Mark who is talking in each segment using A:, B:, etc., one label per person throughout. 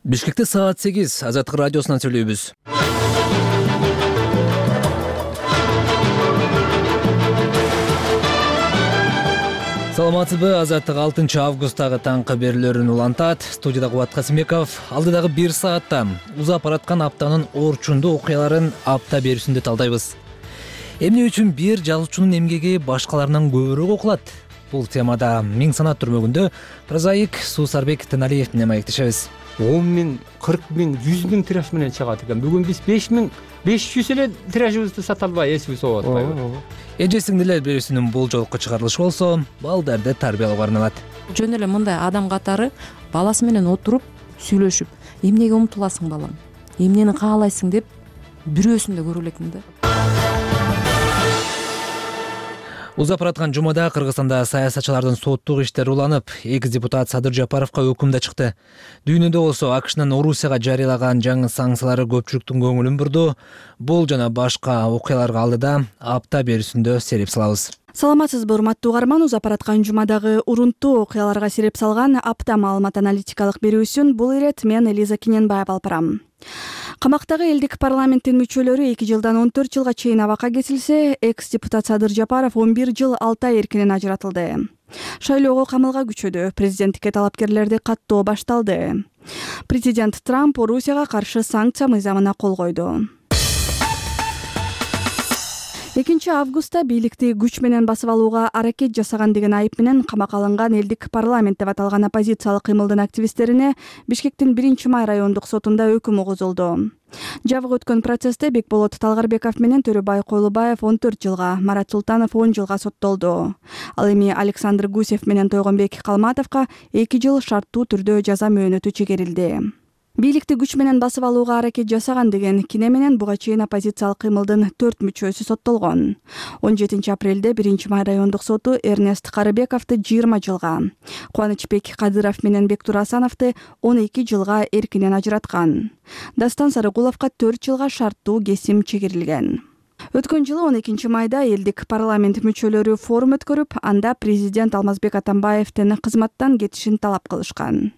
A: Бишкекте саат 8 Азаттык радиосунан сүйлөйбүз. Саламатсызбы? Азаттык 6 августтагы таңкы берүүлөрүн улантат. Студияда Кубат Касымбеков. Алдыдагы 1 саатта узап бараткан аптанын орчундуу окуяларын апта берүүсүндө талдайбыз. Эмне үчүн бир жазуучунун эмгеги башкаларынан көбүрөөк окулат? Бул темада миң санат түрмөгүндө прозаик Суусарбек Тыналиев менен маектешебиз.
B: 10 миң, 40 миң, 100 миң тираж менен чыгат экен. Бүгүн биз 5 миң, 500 эле тиражыбызды сата албай эсибиз болуп атпайбы?
A: Эже-сиңдилер берүүсүнүн бул жолку чыгарылышы болсо, балдарды тарбиялоого арналат.
C: Жөн эле мындай адам катары баласы менен отуруп, сүйлөшүп, эмнеге умтуласың балам? Эмнени каалайсың деп бирөөсүн да көрө элекмин да.
A: Узап бараткан жумада Кыргызстанда саясатчылардын соттук иштери уланып, экс-депутат Садыр Жапаровго өкүм да чыкты. Дүйнөдө болсо АКШнын Орусияга жарыялаган жаңы санкциялары көпчүлүктүн көңүлүн бурду. Бул жана башка окуяларга алдыда апта берүүсүндө сереп салабыз.
D: Саламатсызбы, урматтуу угарман. Узап бараткан жумадагы урунттуу окуяларга сереп салган апта маалымат аналитикалык берүүсүн бул ирет мен Элиза Кененбаева алып барам. Камактагы элдик парламенттин мүчөлөрү 2 жылдан 14 жылга чейин абакка кетилсе, экс-депутат Садыр Жапаров 11 жыл 6 ай эркинен ажыратылды. Шайлоого камылга күчөдү, президенттикке талапкерлерди каттоо башталды. Президент Трамп Орусияга каршы санкция мыйзамына кол койду. 2 августта бийликти күч менен басып алууга аракет жасаган деген айып менен камакка алынган элдик парламент деп аталган оппозициялык кыймылдын активисттерине Бишкектин 1-май райондук сотунда өкүм угузулду. Жабык өткөн процессте Бекболот Талгарбеков менен Төрөбай Койлубаев 14 жылга, Марат Султанов 10 жылга соттолду. Ал эми Александр Гусев менен Тойгонбек Калматовго 2 жыл шарттуу түрдө жаза мөөнөтү чегерилди. Бийликти күч менен басып алууга аракет жасаган деген кине менен буга чейин оппозициялык кыймылдын 4 мүчөсү соттолгон. 17 апрелде 1-май райондук соту Эрнест Карыбековду 20 жылга, Кубанычбек Кадыров менен Бектур Асановду 12 жылга эркинен ажыраткан. Дастан Сарыгуловго 4 жылга шарттуу кесим чегерилген. Өткөн жылы 12 майда элдик парламент мүчөлөрү форум өткөрүп, анда президент Алмазбек Атамбаевдин кызматтан кетишин талап кылышкан.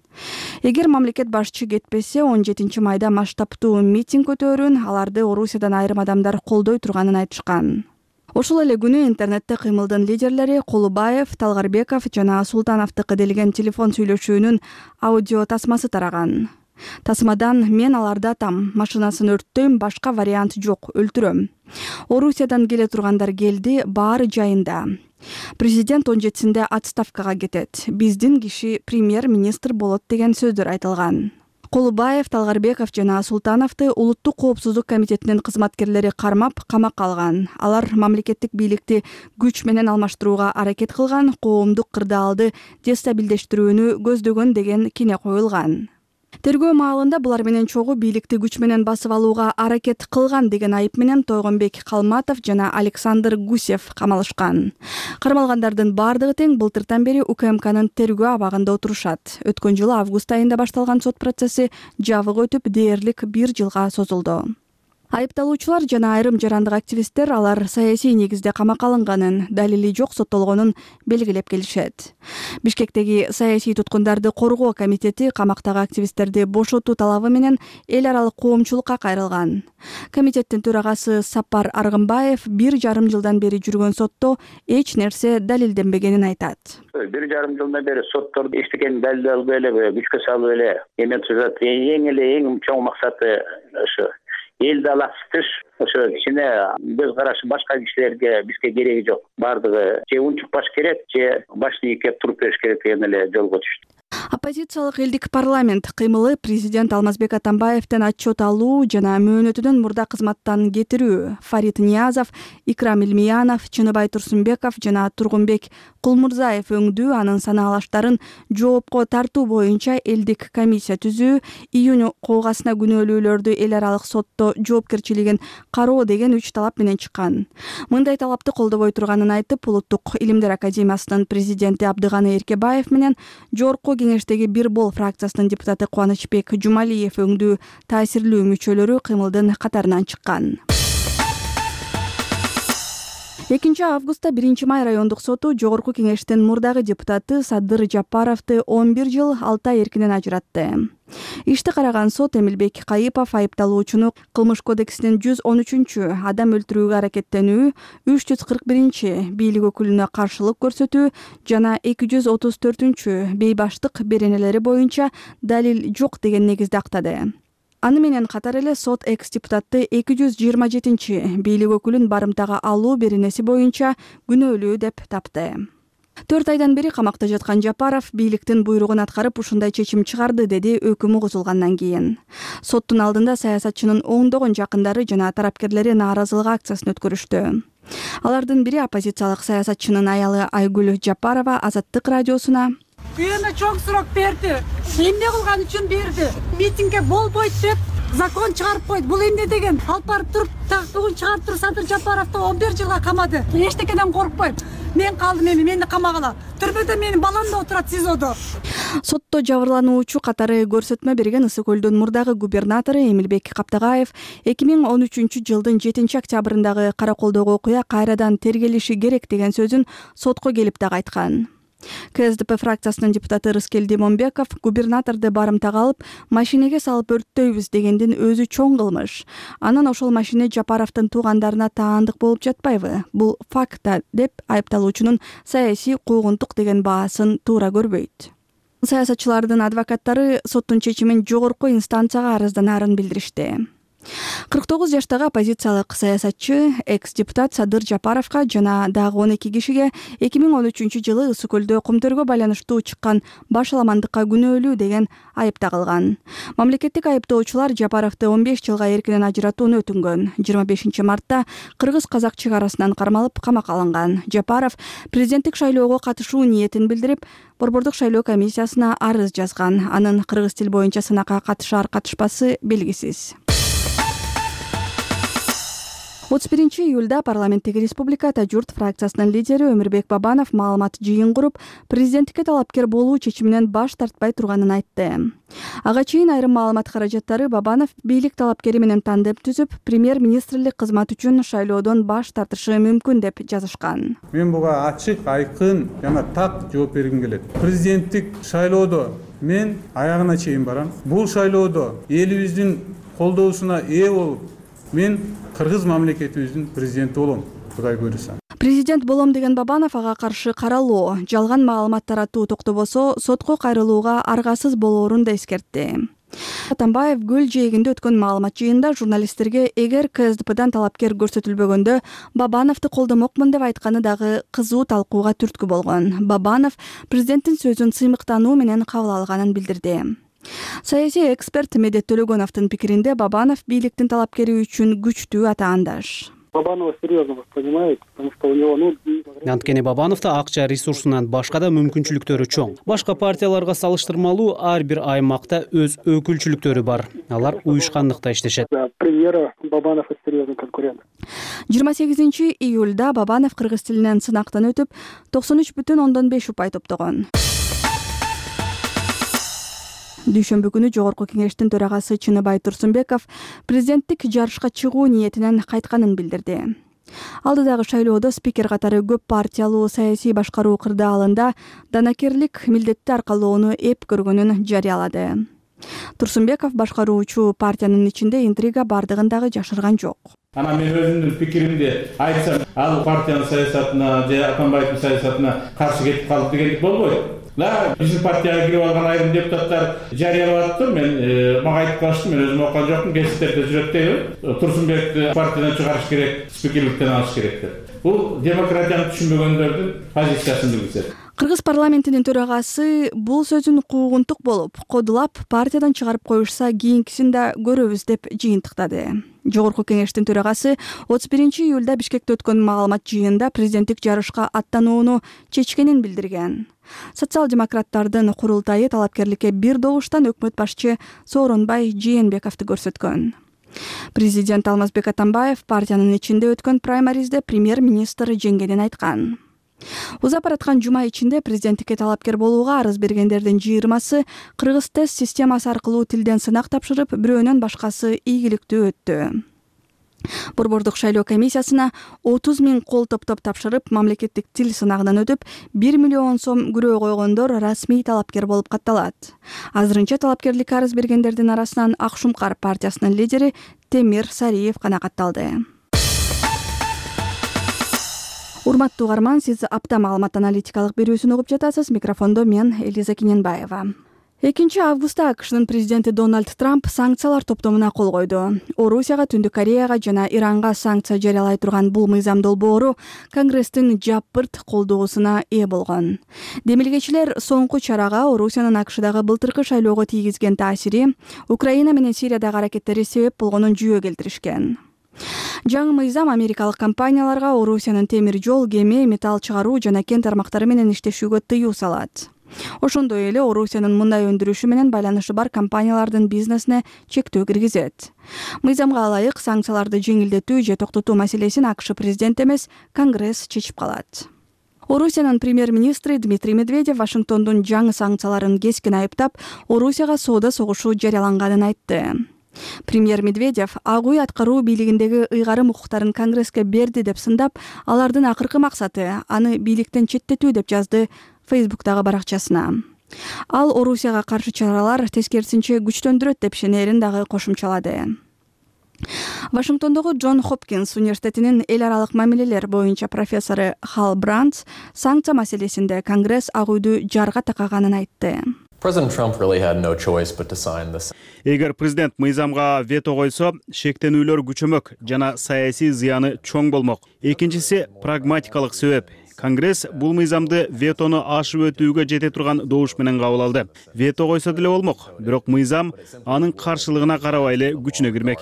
D: Эгер мамлекет башчы кетпесе, 17 майда масштабтуу митинг өтөөрүн, аларды Орусиядан айрым адамдар колдой турганын айтышкан. Ошол эле күнү интернетте кыймылдын лидерлери Колубаев, Талгарбеков жана Султановдуку делген телефон сүйлөшүүнүн аудио тасмасы тараган. Тасмадан мен аларды атам, машинасын өрттөйм, башка вариант жок, өлтүрөм. Орусиядан келе тургандар келди, баары жайында. Президент 17-синде отставкага кетет. Биздин киши премьер-министр болот деген сөздөр айтылган. Колубаев, Талгарбеков жана Султановду Улуттук коопсуздук комитетинин кызматкерлери кармап, камакка алган. Алар мамлекеттик бийликти күч менен алмаштырууга аракет кылган, коомдук кырдаалды дестабилдештирүүнү көздөгөн деген кине коюлган. Тергөө маалында булар менен чогуу бийликти күч менен басып алууга аракет кылган деген айып менен Тойгонбек Калматов жана Александр Гусев камалышкан. Кармалгандардын бардыгы тең былтыртан бери УКМКнын тергөө абагында отурушат. Өткөн жылы август айында башталган сот процесси жабык өтүп дээрлик 1 жылга созулду. Айыпталуучулар жана айрым жарандык активисттер алар саясий негизде камакка алынганын, далили жок соттолгонун белгилеп келишет. Бишкектеги саясий туткундарды коргоо комитети камактагы активисттерди бошотуу талабы менен эл аралык коомчулукка кайрылган. Комитеттин төрагасы Сапар Аргымбаев 1,5 жылдан бери жүргөн сотто эч нерсе далилденбегенин айтат.
E: 1,5 жылдан бери сотторду эчтекени далилдей албай эле, күчкө салып эле эметип жатат. Эң чоң максаты ошо элди алаксытыш, ошо кичине көз карашы башка кишилерге бизге кереги жок. Бардыгы же унчукпаш керек, же башын ийкеп туруп бериш керек деген эле жолго түштү.
D: Оппозициялык элдик парламент кыймылы президент Алмазбек Атамбаевден отчет алуу жана мөөнөтүнөн мурда кызматтан кетирүү. Фарид Ниязов, Икрам Илмиянов, Чыныбай Турсунбеков жана Тургунбек Кулмурзаев өңдүү анын санаалаштарын жоопко тартуу боюнча элдик комиссия түзүү, июнь куугасына күнөөлүүлөрдү эл аралык сотто жоопкерчилигин кароо деген 3 талап менен чыккан. Мындай талапты колдобой турганын айтып, Улуттук илимдер академиясынын президенти Абдыганы Эркебаев менен жогорку кеңештеги Бир бол фракциясынын депутаты Кубанычбек Жумалиев өңдүү таасирлүү мүчөлөрү кыймылдын катарынан чыккан. 2 августта 1 май райондук соту жогорку кеңештин мурдагы депутаты Садыр Жапаровду 11 жыл 6 ай эркинен ажыратты. Ишти караган сот Эмилбек Кайыпов айыпталуучуну Кылмыш кодексинин 113 адам өлтүрүүгө аракеттенүү, 341 бийлик өкүлүнө каршылык көрсөтүү жана 234 бейбаштык беренелери боюнча далил жок деген негизде актады. Аны менен катар эле сот экс-депутатты 227 бийлик өкүлүн барымтага алуу беренеси боюнча күнөөлүү деп тапты. 4 айдан бери камакта жаткан Жапаров бийликтин буйругун аткарып ушундай чечим чыгарды, деди өкүм угузулгандан кийин. Соттун алдында саясатчынын оңдогон жакындары жана тарапкерлери нааразылык акциясын өткөрүштү. Алардын бири оппозициялык саясатчынын аялы Айгүл Жапарова Азаттык радиосуна:
F: Күйөөмө чоң суроо берди. Эмне кылган үчүн берди? Митингге болбойт деп закон чыгарып койду. Бул эмне деген? Алып барып туруп, бүгүн чыгарып туруп Садыр Жапаровду 11 жылга камады. Эчтекеден коркпойм. Мен калдым, мени камагыла. Түрмөдө менин балам да отурат СИЗОдо.
D: Сотто жабырлануучу катары көрсөтмө берген Ысык көлдүн мурдагы губернатору Эмилбек Каптагаев 2013 жылдын 7 октябрындагы караколдогу окуя кайрадан тергелиши керек деген сөзүн сотко келип дагы айткан. КСДП фракциясынын депутаты Рыскел Демонбеков губернаторду барымтага алып машинеге салып өрттөйбүз дегендин өзү чоң кылмыш. Анан ошол машине Жапаровдун туугандарына таандык болуп жатпайбы? Бул факт деп айыпталуучунун саясий куугунтук деген баасын туура көрбөйт. Саясатчылардын адвокаттары соттун чечимин жогорку инстанцияга арызданаарын билдиришти. 49 жаштагы оппозициялык саясатчы экс-депутат Садыр Жапаровго жана дагы 12 кишиге 2013 жылы Ысык көлдө кумтөргө байланыштуу чыккан башаламандыкка күнөөлүү деген айып тагылган. Мамлекеттик айыптоочулар Жапаровду 15 жылга эркинен ажыратууну өтүнгөн. 25 мартта кыргыз-казак чек арасынан кармалып камакка алынган. Жапаров президенттик шайлоого катышуу ниетин билдирип, Борбордук шайлоо комиссиясына арыз жазган. Анын кыргыз тил боюнча сынакка катышар-катышпасы белгисиз. 31 июлда парламенттеги Республика Журт фракциясынын лидери Өмүрбек Бабанов маалымат жыйын куруп, президенттикке талапкер болуу чечиминен баш тартпай турганын айтты. Ага чейин айрым маалымат каражаттары Бабанов бийлик талапкери менен тандем түзүп, премьер-министрлик кызмат үчүн шайлоодон баш тартышы мүмкүн деп жазышкан.
G: Мен буга ачык, айкын жана так жооп бергим келет. Президенттик шайлоодо мен аягына чейин барам. Бул шайлоодо элибиздин колдоосуна ээ болуп, мен кыргыз мамлекетибиздин президенти болом, Кудай буйруса.
D: Президент болом деген Бабанов ага каршы каралоо, жалган маалымат таратуу токтобосо сотко кайрылууга аргасыз болоорун да эскертти. Атамбаев Гүл жээгинде өткөн маалымат жыйында журналисттерге эгер КСДПдан талапкер көрсөтүлбөгөндө Бабановду колдомокмун деп айтканы дагы кызуу талкууга түрткү болгон. Бабанов президенттин сөзүн сыймыктануу менен кабыл алганын билдирди. Саясий эксперт Медет Төлөгөновдун пикиринде Бабанов бийликтин талапкери үчүн күчтүү атаандаш.
H: Бабанова серьезно воспринимает, потому что у него
I: Анткени Бабановдо акча ресурсунан башка да мүмкүнчүлүктөрү чоң. Башка партияларга салыштырмалуу ар бир аймакта өз өкүлчүлүктөрү бар. Алар уюшкандыкта иштешет.
H: Премьера Бабанов серьезный конкурент.
D: 28 июлда Бабанов кыргыз тилинен сынактан өтүп 93,5 упай топтогон. Дүйшөмбү күнү жогорку кеңештин төрагасы Чыныбай Турсунбеков президенттик жарышка чыгуу ниетинен кайтканын билдирди. Алдыдагы шайлоодо спикер катары көп партиялуу саясий башкаруу кырдаалында данакерлик милдетти аркалоону эп көргөнүн жарыялады. Турсунбеков башкаруучу партиянын ичинде интрига бардыгын дагы жашырган жок.
J: Ана мен өзүмдүн пикиримди айтсам, ал партиянын саясатына же Атамбаевдин саясатына каршы кетип калып дегендик болбойт. Биздин партияга кирип алган айрым депутаттар жарыялап атты. Мен мага айтып калышты, мен өзүм окуган жокмун, гезиттерде жүрөт дейбин. Турсунбекти партиядан чыгарыш керек, спикерликтен алыш керек деп. Бул демократияны түшүнбөгөндөрдүн позициясын билдирет.
D: Кыргыз парламентинин төрагасы бул сөзүн куугунтук болуп, кодулап партиядан чыгарып коюшса кийинкисин да көрөбүз деп жыйынтыктады. Жогорку кеңештин төрагасы 31 июлда Бишкекте өткөн маалымат жыйында президенттик жарышка аттанууну чечкенин билдирген. Социал-демократтардын курултайы талапкерликке бир добуштан өкмөт башчы Сооронбай Жээнбековду көрсөткөн. Президент Алмазбек Атамбаев партиянын ичинде өткөн праймаризде премьер-министр жеңгенин айткан. Узап бараткан жума ичинде президенттикке талапкер болууга арыз бергендердин 20сы кыргыз тест системасы аркылуу тилден сынак тапшырып, бирөөнөн башкасы ийгиликтүү өттү. Борбордук шайлоо комиссиясына 30 000 кол топтоп тапшырып, мамлекеттик тил сынагынан өтүп, 1 миллион сом күрөө койгондор расмий талапкер болуп катталат. Азырынча талапкерлик арыз бергендердин арасынан Ак Шумкар партиясынын лидери Темир Сариев канагатталды. Урматтуу угарман, сиз апта маалымат аналитикалык берүүсүн угуп жатасыз. Микрофондо мен Элиза Киненбаева. 2 августта АКШнын президенти Дональд Трамп санкциялар топтомуна кол койду. Орусияга, Түндүк Кореяга жана Иранга санкция жарыялай турган бул мыйзам долбоору Конгресстин жапырт колдоосуна ээ болгон. Демилгечилер соңку чарага Орусиянын АКШдагы былтыркы шайлоого тийгизген таасири, Украина менен Сириядагы аракеттери себеп болгонун жүйө келтиришкен. Жаңы мыйзам америкалык компанияларга Орусиянын темир жол, кеме, металл чыгаруу жана кен тармактары менен иштешүүгө тыюу салат. Ошондой эле Орусиянын мындай өндүрүшү менен байланышы бар компаниялардын бизнесине чектөө киргизет. Мыйзамга ылайык санкцияларды жеңилдетүү же токтотуу маселесин АКШ президенти эмес, Конгресс чечип калат. Орусиянын премьер-министри Дмитрий Медведев Вашингтондун жаңы санкцияларын кескин айыптап, Орусияга соода согушу жарыяланганын айтты. Премьер Медведев Ак үй аткаруу бийлигиндеги ыйгарым укуктарын Конгресске берди деп сындап, алардын акыркы максаты аны бийликтен четтетүү деп жазды Фейсбуктагы баракчасына. Ал Орусияга каршы чаралар тескерисинче күчтөндүрөт деп ишенерин дагы кошумчалады. Вашингтондогу Джон Хопкинс университетинин эл аралык мамилелер боюнча профессору Хал Брандс санкция маселесинде Конгресс Ак үйдү жарга такаганын айтты.
K: Эгер президент мыйзамга вето койсо, шектенүүлөр күчөмөк жана саясий зыяны чоң болмок. Экинчиси прагматикалык себеп. Конгресс бул мыйзамды ветону ашып өтүүгө жете турган добуш менен кабыл алды. Вето койсо деле болмок, бирок мыйзам анын каршылыгына карабай эле күчүнө кирмек.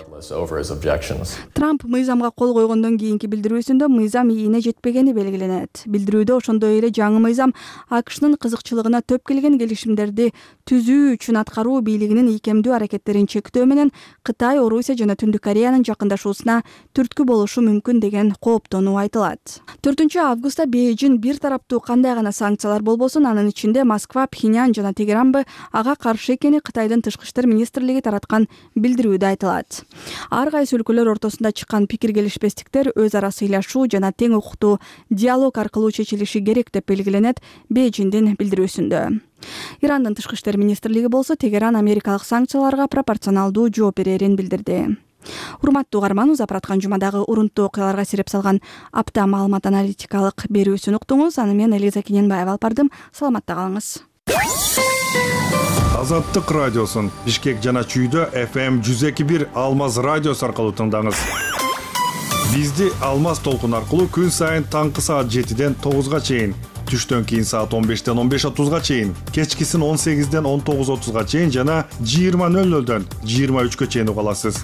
D: Трамп мыйзамга кол койгондон кийинки билдирүүсүндө мыйзам ийине жетпегени белгиленет. Билдирүүдө ошондой эле жаңы мыйзам АКШнын кызыкчылыгына төп келген келишимдерди түзүү үчүн аткаруу бийлигинин ийкемдүү аракеттерин чектөө менен Кытай, Орусия жана Түндүк Кореянын жакындашуусуна түрткү болушу мүмкүн деген кооптонуу айтылат. 4 августта Бейжин бир тараптуу кандай гана санкциялар болбосун, анын ичинде Москва, Пхеньян жана Тегеранбы ага каршы экени Кытайдын тышкы иштер министрлиги тараткан билдирүүдө айтылат. Ар кайсы өлкөлөр ортосунда чыккан пикир келишпестиктер өз ара сыйлашуу жана тең укуктуу диалог аркылуу чечилиши керек деп белгиленет Бейжиндин билдирүүсүндө. Ирандын тышкы иштер министрлиги болсо Тегеран америкалык санкцияларга пропорционалдуу жооп берерин билдирди. Урматтуу угарман, узап бараткан жумадагы урунттуу окуяларга сереп салган апта маалымат аналитикалык берүүсүн уктуңуз. Аны мен Элиза Киненбаева алып бардым. Саламатта калыңыз.
L: Азаттык радиосун Бишкек жана Чүйдө FM 102.1 Алмаз радиосу аркылуу тыңдаңыз. Бизди Алмаз толкун аркылуу күн сайын таңкы саат 7ден 9га чейин, түштөн кийин саат 15ден 15:30га чейин, кечкисин 18ден 19:30га чейин жана 20:00дөн 23гө чейин уга аласыз.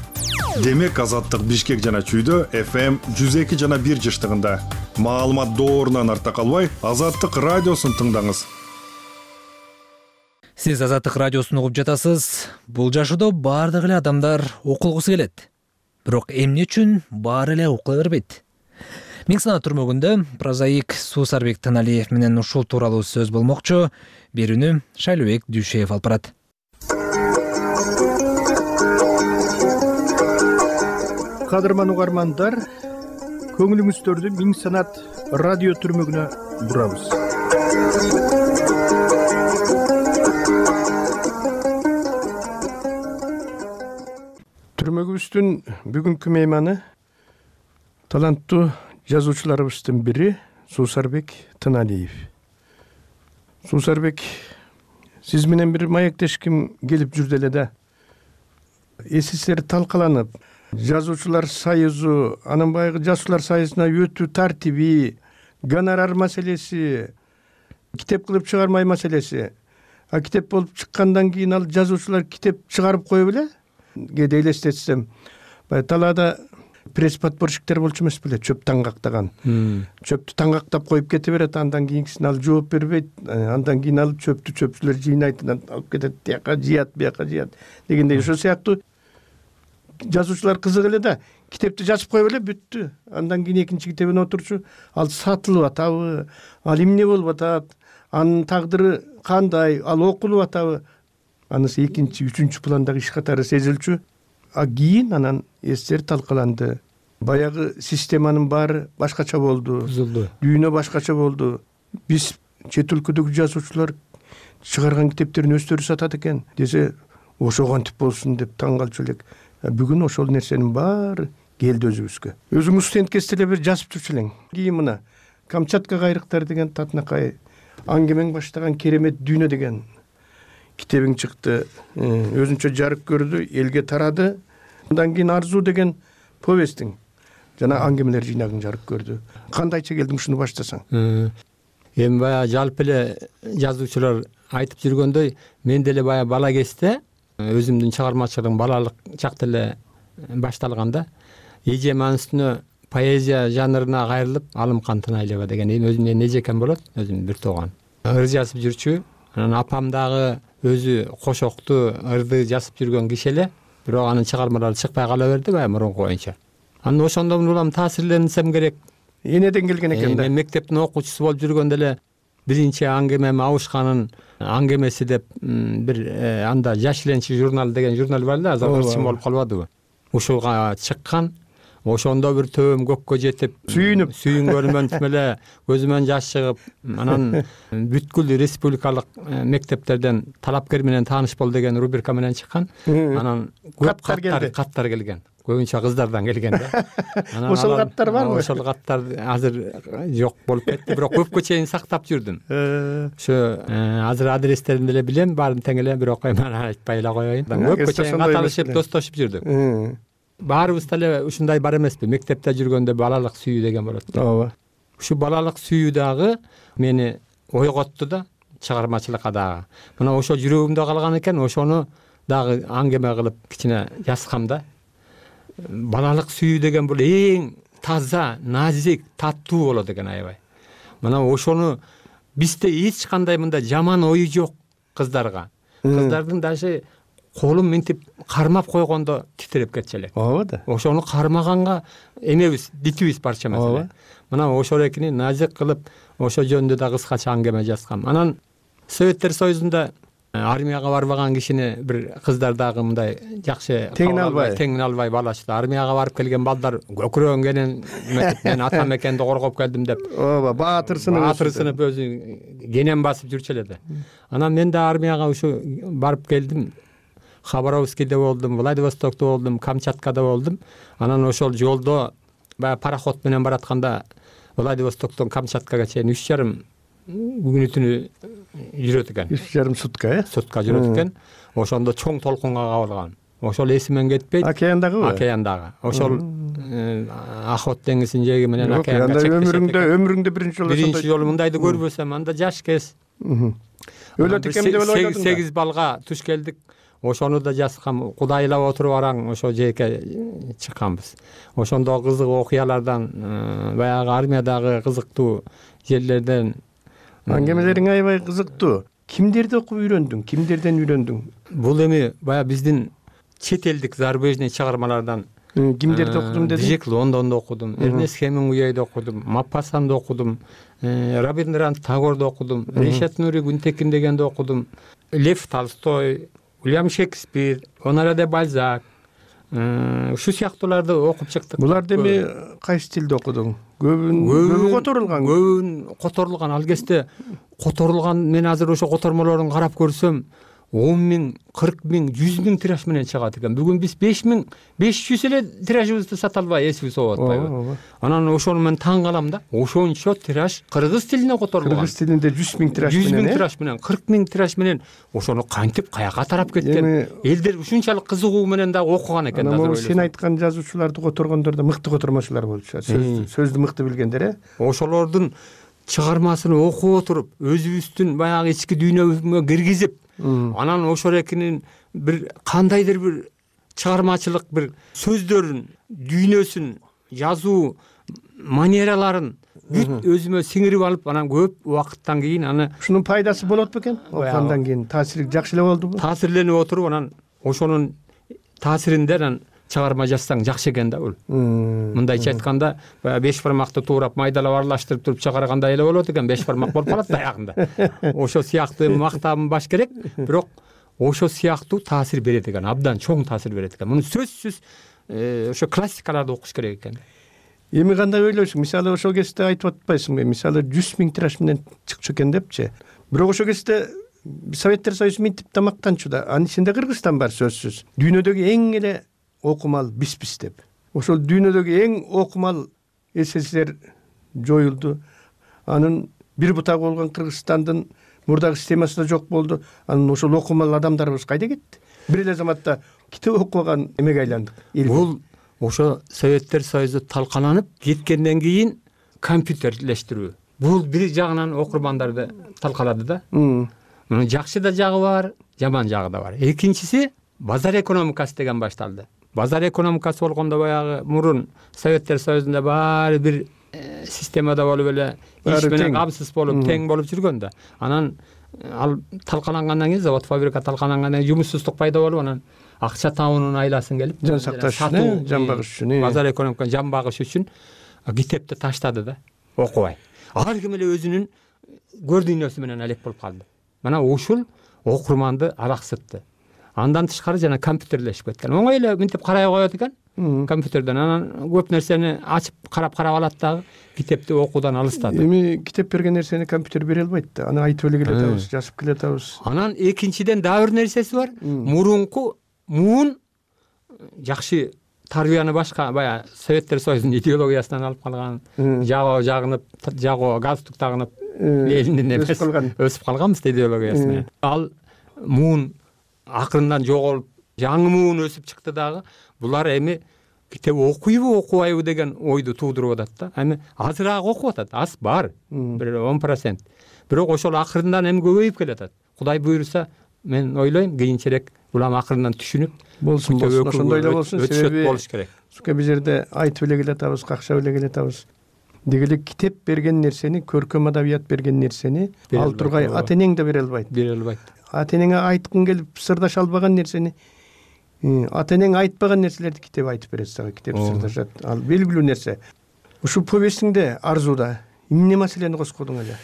L: Демек Азаттык Бишкек жана Чүйдө FM 102 жана 1 жыштыгында. Маалымат доорунан арта калбай, Азаттык радиосун тыңдаңыз.
A: Сиз Азаттык радиосун угуп жатасыз. Бул жашоодо баардык эле адамдар окулгусу келет. Бирок эмне үчүн баары эле окула бербейт? Миңсана түрмөгүндө прозаик Суусарбек Таналиев менен ушул тууралуу сөз болмокчу. Берүүнү Шайлообек Дүйшеев алып барат.
M: Кадырман угармандар, көңүлүңүздөрдү Миң санат радио түрмөгүнө бурабыз. Түрмөгүбүздүн бүгүнкү мейманы таланттуу жазуучуларыбыздын бири Суусарбек Таналиев. Суусарбек, сиз менен бир маектешким келип жүрдү эле да. Эсиңиздер талкаланып, жазуучулар союзу, анын баягы жазуучулар союзуна өтүү тартиби, гонорар маселеси, китеп кылып чыгармай маселеси. А китеп болуп чыккандан кийин ал жазуучулар китеп чыгарып коюп эле. Кээде элестетсем, талаада пресс подпорщиктер болчу эмес беле, чөп таңгактаган. Чөптү таңгактап коюп кете берет, андан кийинкисин ал жооп бербейт. Андан кийин ал чөпчүлөр жыйнайт, алып кетет, тияка жыят, бияка жыят дегендей. Ошол сыяктуу жазуучулар кызык эле да, китепти жазып коюп эле бүттү. Андан кийин экинчи китебин отурчу, ал сатылып атабы, ал эмне болуп атат, анын тагдыры кандай, ал окулуп атабы, анысы экинчи, үчүнчү пландагы иш катары сезилчү. А кийин анан эстер талкаланды. Баягы системанын баары башкача болду,
B: бузулду.
M: Дүйнө башкача болду. Биз чет өлкөдөгү жазуучулар чыгарган китептерин өздөрү сатат экен десе, ошо кантип болсун деп таң калчу элек. Бүгүн ошол нерсенин баары келди өзүбүзгө. Өзүңүз стендкесте эле бир жазып жүрчү элең. Кийин мына Камчатка кайрыктар деген татынакай аңгемең баштаган керемет дүйнө деген китебиң чыкты. Өзүнчө жарык көрдү, элге тарады. Андан кийин Арзуу деген повестиң жана аңгемелер жыйнагың жарык көрдү. Кандайча келдиң ушуну баштасаң?
B: Эми баягы жалпы эле жазуучулар айтып жүргөндөй, мен деле баягы бала кезде өзүмдүн чыгармачылыгым балалык чакта эле башталганда эжем анын үстүнө поэзия жанрына кайрылып, алым кантын айлаба деген өзүмдөн эжекем болот, өзүм бир тууган. Ыр жазып жүрчү. Анан апам дагы өзү кошокту, ырды жазып жүргөн киши эле, бирок анын чыгармалары чыкпай кала берди баягы мурунку боюнча. Анан ошондон улам таасирленсем керек.
M: Энеден келген экен да.
B: Мен мектептин окуучусу болуп жүргөндө эле биринчи аңгемем Абышканын аңгемеси деп бир анда Жаш Ленчи журнал деген журнал бар эле, азыр ырчым болуп калбадыбы? Ушуга чыккан. Ошондо бир төбөм көккө жетип, сүйүнгөнүмөн тим эле көзүмөн жаш чыгып, анан бүткүл республикалык мектептерден талапкер менен тааныш бол деген рубрика менен чыккан. Анан көп каттар келген. Көбүнчө кыздардан келген да.
M: Ошол каттар барбы?
B: Ошол каттар азыр жок болуп кетти, бирок көпкө чейин сактап жүрдүм. Ошо азыр адрестерин деле билем, баарын тең эле, бирок мен айтпай эле коеюн. Көпкө чейин каталышып, достошуп жүрдүк. Баарыбыз деле ушундай бар эмеспи? Мектепте жүргөндө балалык сүйүү деген болот.
M: Ооба.
B: Ушу балалык сүйүү дагы мени ойготту да, чыгармачылыкка дагы. Мына ошо жүрөгүмдө калган экен, ошону дагы аңгеме кылып кичине жазсам да. Балалык сүйүү деген бул эң таза, назик, таттуу болот экен аябай. Мына ошону бизде эч кандай мындай жаман ою жок кыздарга. Кыздардын даже колун мынтип кармап койгондо титиреп кетчү элек.
M: Ооба да.
B: Ошону кармаганга эмебиз, дитибиз барча эмес. Мына ошолекини назик кылып, ошо жөнүндө да кыскача аңгеме жазгам. Анан Советтер Союзунда армияга барбаган кишини бир кыздар дагы мындай жакшы теңин албай балачты. Армияга барып келген балдар көкүрөгөнген мен ата мекенди коргоп келдим деп.
M: Ооба, баатырсынып
B: өзү кенен басып жүрчү эле да. Анан мен да армияга ушу барып келдим. Хабаровскийде болдум, Владивостокто болдум, Камчаткада болдум. Анан ошол жолдо баягы пароход менен баратканда Владивостоктон Камчаткага чейин 3,5 күнү түнү жүрөт экен.
M: 3,5 сутка,
B: Сутка жүрөт экен. Ошондо чоң толкунга кабылган. Ошол эсимен кетпейт.
M: Океандагыбы?
B: Океандагы. Ошол Охот деңизинин жээги менен океанга чектешет.
M: Өмүрүңдө биринчи
B: жолу мындайды көрбөсөм, анда жаш кез.
M: Өлөт экен деп ойлодум.
B: 8 балга туш келдик. Ошону да жазгам, кудайлап отуруп араң ошо жээкке чыкканбыз. Ошондо кызык окуялардан, баягы армиядагы кызыктуу жерлерден
M: аңгемелериң аябай кызыктуу. Кимдерди окуп үйрөндүң? Кимдерден үйрөндүң?
B: Бул эми баягы биздин чет элдик зарубежный чыгармалардан
M: кимдерди окудум дедиң?
B: Джек Лондонду окудум, Эрнест Хемингуэйди окудум, Маппасанды окудум, Рабиндранат Тагорду окудум, Ришат Нури Гүнтекин дегенди окудум, Лев Толстой, Уильям Шекспир, Оноре де Бальзак, ушу сыяктууларды окуп чыктык.
M: Буларды эми кайсы тилде окудуң? Көбү которулган.
B: Көбүн которулган. Ал кезде которулган, мен азыр ошо котормолорун карап көрсөм, 10,000, 40,000, 100,000 тираж менен чыгат экен. Бүгүн биз 5,500 эле тиражыбызды сата албай эсибиз болуп атпайбы? Анан ошону мен таң калам да. Ошончо тираж кыргыз тилине которулган.
M: Кыргыз тилинде 100,000 тираж менен.
B: 100,000 тираж менен, 40,000 тираж менен ошону кантип каяка тарап кеткен? Элдер ушунчалык кызыгуу менен да окуган экен да.
M: Анан сен айткан жазуучуларды которгондор да мыкты котормочулар болчу. Сөздү мыкты билгендер,
B: Ошолордун чыгармасын окуп отуруп, өзүбүздүн баягы ички дүйнөбүзгө киргизип, анан ошолекинин бир кандайдыр бир чыгармачылык бир сөздөрүн, дүйнөсүн, жазуу манераларын бүт өзүмө сиңирип алып, анан көп убакыттан кийин аны
M: ушунун пайдасы болот бекен? Окугандан кийин таасири жакшы эле болдубу?
B: Таасирленип отуруп, анан ошонун таасиринде анан чыгарма жазсаң жакшы экен да бул. Мындайча айтканда, 5 бармакты туурап майдалап аралаштырып туруп чыгаргандай эле болот экен, 5 бармак болуп калат аягында. Ошо сыяктуу мактабым баш керек, бирок ошо сыяктуу таасир берет экен, абдан чоң таасир берет экен. Муну сөзсүз ошо классикаларды окуш керек экен.
M: Эми кандай ойлойсуң? Мисалы ошол кезде айтып атпайсыңбы? Мисалы 100 000 тираж менен чыкчу экен депчи. Бирок ошол кезде Советтер Союзу минтип тамактанчу да. Анын ичинде Кыргызстан бар сөзсүз. Дүйнөдөгү эң эле окумал биз деп. Ошол дүйнөдөгү эң окумал СССР жоюлду. Анын бир бутагы болгон Кыргызстандын мурдагы системасы да жок болду. Анын ошол окумал адамдарыбыз кайда кетти? Бир эле заматта китеп окуган эмеге айландык.
B: Бул ошо Советтер Союзу талкаланып кеткенден кийин компьютерлештирүү. Бул бир жагынан окурмандарды талкалады да. Мунун жакшы да жагы бар, жаман жагы да бар. Экинчиси базар экономикасы деген башталды. Базар экономикасы болгондо баягы мурун Советтер Союзунда баары бир системада болуп эле иш менен камсыз болуп, тең болуп жүргөн да. Анан ал талкалангандан кийин, завод фабрика талкалангандан кийин жумушсуздук пайда болуп, анан акча табуунун айласын келип,
M: жан сакташ үчүн, жан багыш үчүн,
B: базар экономиканы жан багыш үчүн китепти таштады да, окубай. Ар ким эле өзүнүн көр дүйнөсү менен алек болуп калды. Мына ушул окурманды алаксытты. Андан тышкары жана компьютерлешип кеткен. Оңой эле мынтип карай коет экен компьютерден. Анан көп нерсени ачып карап алат дагы, китепти окуудан алыстады.
M: Эми китеп берген нерсени компьютер бере албайт да. Аны айтып эле келатабыз, жазып келатабыз.
B: Анан экинчиден дагы бир нерсеси бар. Мурунку муун жакшы тарбияны башка баягы Советтер Союзунун идеологиясынан алып калган, жагынып, галстук тагынып, Лениндин эмес өсүп калганбыз идеологиясына. Ал муун акырындан жоголуп, жаңы муун өсүп чыкты дагы. Булар эми китеп окуйбу, окубайбы деген ойду туудуруп атат да. Эми азыраак окуп атат, аз бар, бир 10%. Бирок ошол акырындан эми көбөйүп келатат. Кудай буйруса, мен ойлойм, кийинчерээк улам акырындан түшүнүп
M: болсун, ошондой эле болсун.
B: Себеби болуш керек.
M: Биз жерде айтып эле келатабыз, какшап эле келатабыз. Деги эле китеп берген нерсени, көркөм адабият берген нерсени ал тургай ата энең да бере албайт. Ата энеңе айткың келип сырдаша албаган нерсени ата энең айтпаган нерселерди китеп айтып берет сага, китеп сырдашат. Ал белгилүү нерсе. Ушул повестиңде Арзуда эмне маселени коскодуң эле?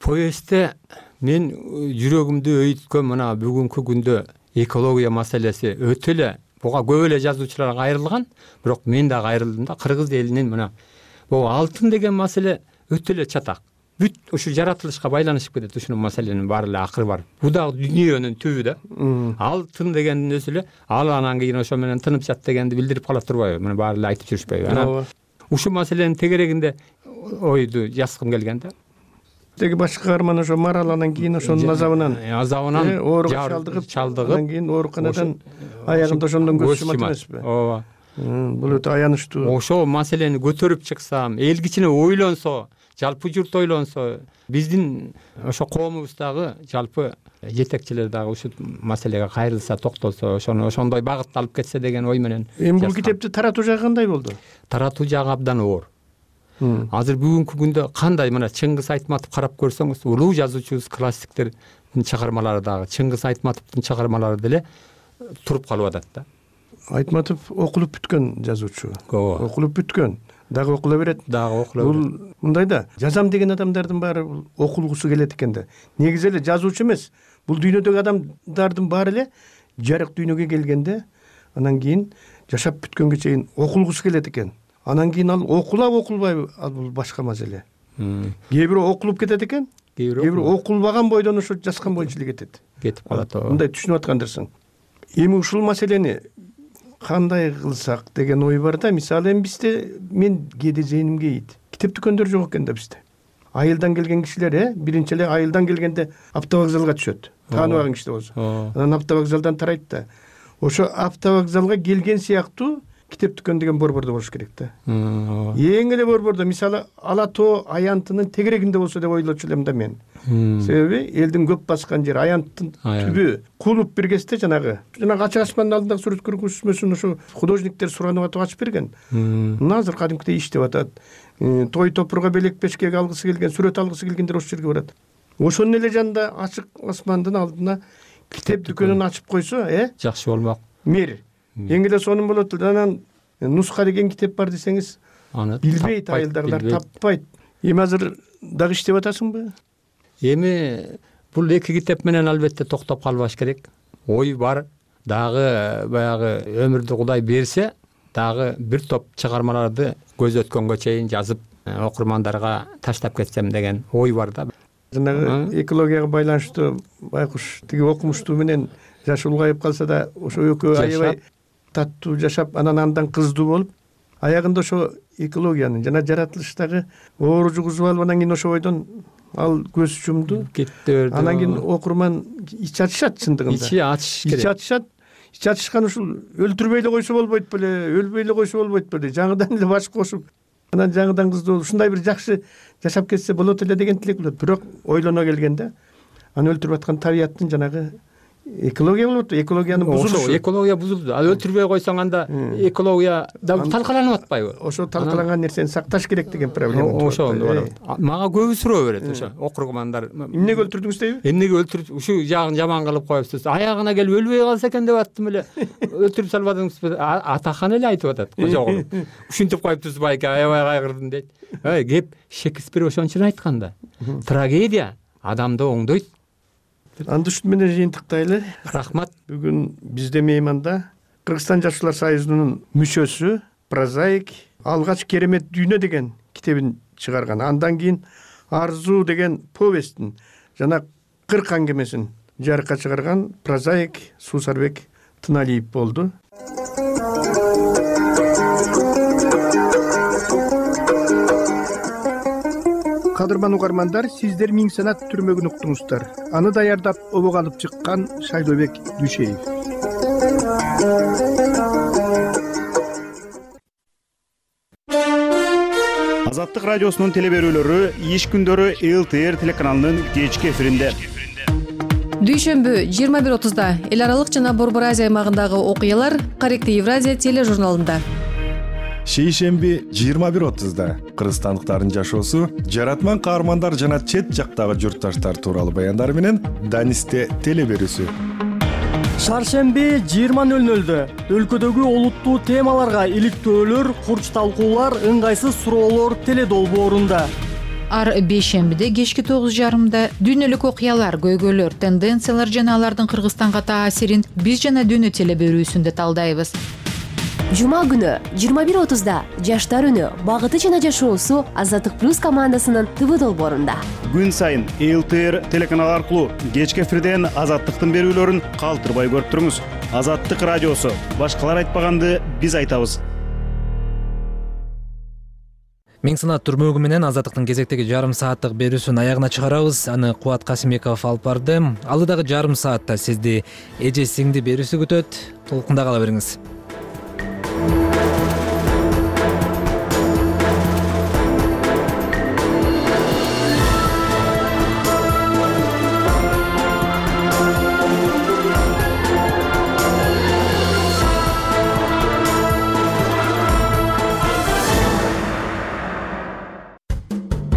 B: Повестте мен жүрөгүмдү өйүткөн мына бүгүнкү күндө экология маселеси өтө эле, буга көп эле жазуучулар кайрылган, бирок мен да кайрылдым да. Кыргыз элинин мына бул алтын деген маселе өтө эле чатак. Бүт ушу жаратылышка байланышып кетет ушунун маселенин баары эле акыры бар. Бул да дүйнөнүн түбү да. Алтын дегендин өзү эле ал анан кийин ошо менен тынып жат дегенди билдирип кала турбайбы? Мына баары эле айтып жүрүшпөйбү? Анан ушул маселенин тегерегинде ойду жазгым келген да.
M: Теги башкы каарман ошо Марал анан кийин ошонун азабынан ооруга чалдыгып, анан кийин ооруканадан аягында ошондон көз жумат эмеспи?
B: Ооба.
M: Бул өтө аянычтуу.
B: Ошол маселени көтөрүп чыксам, эл кичине ойлонсо, жалпы журт ойлонсо, биздин ошо коомубуздагы жалпы жетекчилер дагы ушул маселеге кайрылса, токтолсо, ошондой багытта алып кетсе деген ой менен.
M: Эми бул китепти таратуу жагы кандай болду?
B: Таратуу жагы абдан оор. Азыр бүгүнкү күндө кандай мына Чыңгыз Айтматов карап көрсөңүз, улуу жазуучубуз, классиктердин чыгармалары дагы, Чыңгыз Айтматовдун чыгармалары деле туруп калып атат да.
M: Айтматов окулуп бүткөн жазуучу. Окулуп бүткөн. Дагы окула берет. Бул мындай да, жазам деген адамдардын баары окулгусу келет экен да. Негизи эле жазуучу эмес. Бул дүйнөдөгү адамдардын баары эле жарык дүйнөгө келгенде, анан кийин жашап бүткөнгө чейин окулгусу келет экен. Анан кийин ал окулбайбы, ал бул башка маселе. Кээ бирөө окулуп кетет экен, кээ бирөө окулбаган бойдон ошо жазган боюнча эле кетет.
B: Кетип калат.
M: Мындай түшүнүп аткандырсың. Эми ушул маселени кандай кылсак деген ой бар да. Мисалы эми бизде мен кээде зээнимге ийит. Китеп дүкөндөр жок экен да бизде. Айылдан келген кишилер, биринчи эле айылдан келгенде автовокзалга түшөт. Тааныбаган киши болсо. Анан автовокзалдан тарайт да. Ошо автовокзалга келген сыяктуу китеп дүкөн деген борбордо болуш керек да. Эң эле борбордо, мисалы Ала тоо Аянтынын тегерегинде болсо деп ойлочу элем да мен. Себеби элдин көп баскан жери Аянттын түбү. Кулуп бир кезде жанагы ачык асмандын алдындагы сүрөт көргөзмөсүн ошо художниктер суранып атып ачып берген. Мына азыр кадимкидей иштеп атат. Той топурга белек пешкеге алгысы келген, сүрөт алгысы келгендер ошол жерге барат. Ошонун эле жанында ачык асмандын алдына китеп дүкөнүн ачып койсо,
B: жакшы болмок.
M: Мер. Эң эле сонун болот. Анан нуска деген китеп бар десеңиз, аны билбейт, айылдагылар таппайт. Эми азыр дагы иштеп атасыңбы?
B: Эми бул эки китеп менен албетте токтоп калбаш керек. Ой бар, дагы баягы өмүрдү Кудай берсе, дагы бир топ чыгармаларды көз өткөнгө чейин жазып окурмандарга таштап кетсем деген ой бар да.
M: Жанагы экологияга байланыштуу байкуш тиги окумуштуу менен жашы улгайып калса да ошо экөө аябай таттуу жашап андан кыздуу болуп, аягында ошо экологиянын жана жаратылыштагы оору жугузуп алып анан кийин ошо бойдон ал көз жумду кетти берди. Анан кийин окурман ич ачышат чындыгында.
B: Ичи ачыш керек.
M: Ич ачышат. Ич ачышкан ушул өлтүрбөй эле койсо болбойт беле, өлбөй эле койсо болбойт беле, жаңыдан эле баш кошуп, анан жаңыдан кыздуу болуп, ушундай бир жакшы жашап кетсе болот эле деген тилек болот. Бирок ойлоно келгенде аны өлтүрүп аткан табияттын жанагы экология болуп атпайбы? Экологиянын бузулушу.
B: Экология бузулду. Ал өлтүрбөй койсоң анда экология да талкаланып атпайбы?
M: Ошо талкаланган нерсени сакташ керек деген проблема.
B: Ошо мага көбү суроо берет ошо окурмандар.
M: Эмнеге өлтүрдүңүз дейби?
B: Эмнеге өлтүрүп, ушу жагын жаман кылып коюпсуз. Аягына келип өлбөй калса экен деп аттым эле. Өлтүрүп салбадыңызбы? Атахан эле айтып атат. Кожогулуп. Ушинтип коюптуз байке, аябай кайгырдым дейт. Кеп Шекспир ошончун айткан да. Трагедия адамды оңдойт.
M: Анды ушун менен жыйынтыктайлы.
B: Рахмат.
M: Бүгүн бизде мейманда Кыргызстан Жашуулар союзунун мүчөсү, прозаик, алгач керемет дүйнө деген китебин чыгарган. Андан кийин Арзуу деген повестин жана 40 аңгемесин жарыкка чыгарган прозаик Суусарбек Тыналиев болду. Кадырман угармандар, сиздер Миң санат түрмөгүн уктуңуздар. Аны даярдап обого алып чыккан Шайлообек Дүйшеев.
K: Азаттык радиосунун телеберүүлөрү иш күндөрү ЛТР телеканалынын кечки эфиринде.
N: Дүйшөмбү 21:30 эл аралык жана Борбор Азия аймагындагы окуялар Корректив Евразия тележурналында.
L: Шейшемби 21:30 кыргызстандыктардын жашоосу, жаратман каармандар жана чет жактагы журтташтар тууралуу баяндар менен Данисте телеберүүсү.
O: Шаршемби 20:00 өлкөдөгү олуттуу темаларга иликтөөлөр, курч талкуулар, ыңгайсыз суроолор теледолбоорунда.
P: Ар бейшембиде кечки 9:30 дүйнөлүк окуялар, көйгөйлөр, тенденциялар жана алардын Кыргызстанга таасирин биз жана дүйнө телеберүүсүндө талдайбыз.
Q: Жума күнү 21:30 Жаштар үнү, багыты жана жашоосу Азаттык плюс командасынын ТВ долбоорунда.
K: Күн сайын ЛТР телеканалы аркылуу кечки эфирден Азаттыктын берүүлөрүн калтырбай көрүп туруңуз. Азаттык радиосу, башкалар айтпаганды биз айтабыз.
A: Миң санат түрмөгү менен Азаттыктын кезектеги жарым сааттык берүүсүн аягына чыгарабыз. Аны Кубат Касымбеков алып барды. Алдыдагы жарым саатта сизди эже сиңди берүүсү күтөт. Толкунда кала бериңиз.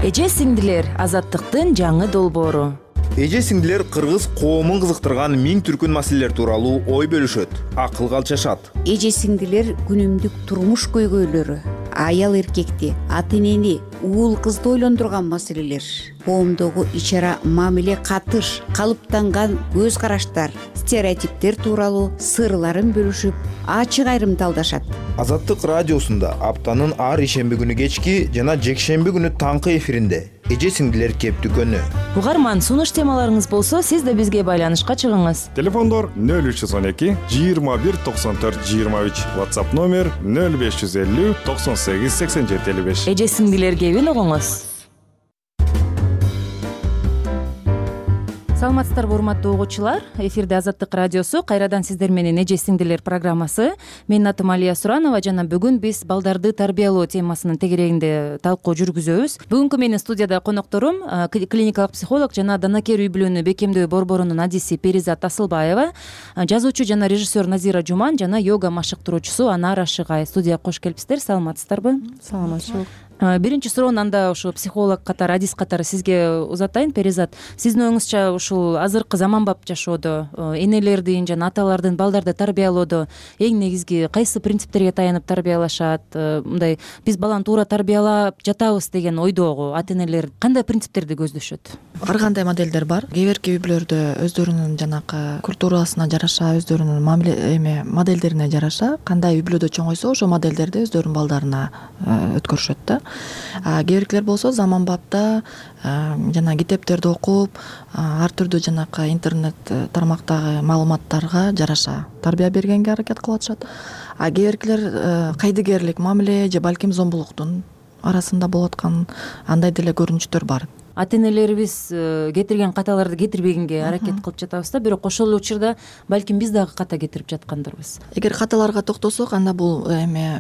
R: Эже сиңдилер, Азаттыктын жаңы долбоору.
S: Эже сиңдилер кыргыз коомун кызыктырган миң түркүн маселелер тууралуу ой бөлүшөт, акыл калчашат.
T: Эже сиңдилер күнүмдүк турмуш көйгөйлөрү, аял эркекти, ата энени, уул кызды ойлондурган маселелер, коомдогу ичара мамиле катыш, калыптанган көз караштар, стереотиптер тууралуу сырларын бөлүшүп, ачык айрым талдашат.
S: Азаттык радиосунда аптанын ар ишемби күнү кечки жана жекшемби күнү таңкы эфиринде эже сиңдилер кептүкөнү.
R: Угарман, сунуш темаларыңыз болсо, сиз да бизге байланышка чыгыңыз.
L: Телефондор 0312 21 94 23, WhatsApp номер 0550 98 87 55.
R: Эже сиңдилер кебин угуңуз. Саламатсыздарбы, урматтуу угуучулар. Эфирде Азаттык радиосу, кайрадан сиздер менен эже сиңдилер программасы. Менин атым Алия Суранова жана бүгүн биз балдарды тарбиялоо темасынын тегерегинде талкуу жүргүзөбүз. Бүгүнкү менин студияда конокторум клиникалык психолог жана данакер үй бүлөнү бекемдөө борборунун адиси Перизат Асылбаева, жазуучу жана режиссер Назира Жуман жана йога машыктыруучусу Анар Ашыгай. Студияга кош келипсиздер. Саламатсыздарбы?
C: Саламатчылык.
R: Биринчи суроону анда ушу психолог катары, адис катары сизге узатайын. Перизат, сиздин оюңузча ушул азыркы заманбап жашоодо энелердин жана аталардын балдарды тарбиялоодо эң негизги кайсы принциптерге таянып тарбиялашат? Мындай биз баланы туура тарбиялап жатабыз деген ойдогу ата энелер кандай принциптерди көздөшөт?
U: Ар кандай моделдер бар. Кээ бирки үй бүлөлөрдө өздөрүнүн жанакы культурасына жараша, өздөрүнүн мамиле модельдерине жараша кандай үй бүлөдө чоңойсо ошол модельдерди өздөрүнүн балдарына өткөрүшөт да. Кээ биркилер болсо заманбапта жана китептерди окуп, ар түрдүү жанакы интернет тармактагы маалыматтарга жараша тарбия бергенге аракет кылып атышат. Кээ биркилер кайдыгерлик мамиле же балким зомбулуктун арасында болуп аткан андай деле көрүнүштөр бар.
R: Ата энелерибиз кетирген каталарды кетирбегенге аракет кылып жатабыз да, бирок ошол эле учурда балким биз дагы ката кетирип жаткандырбыз.
U: Эгер каталарга токтосок, анда бул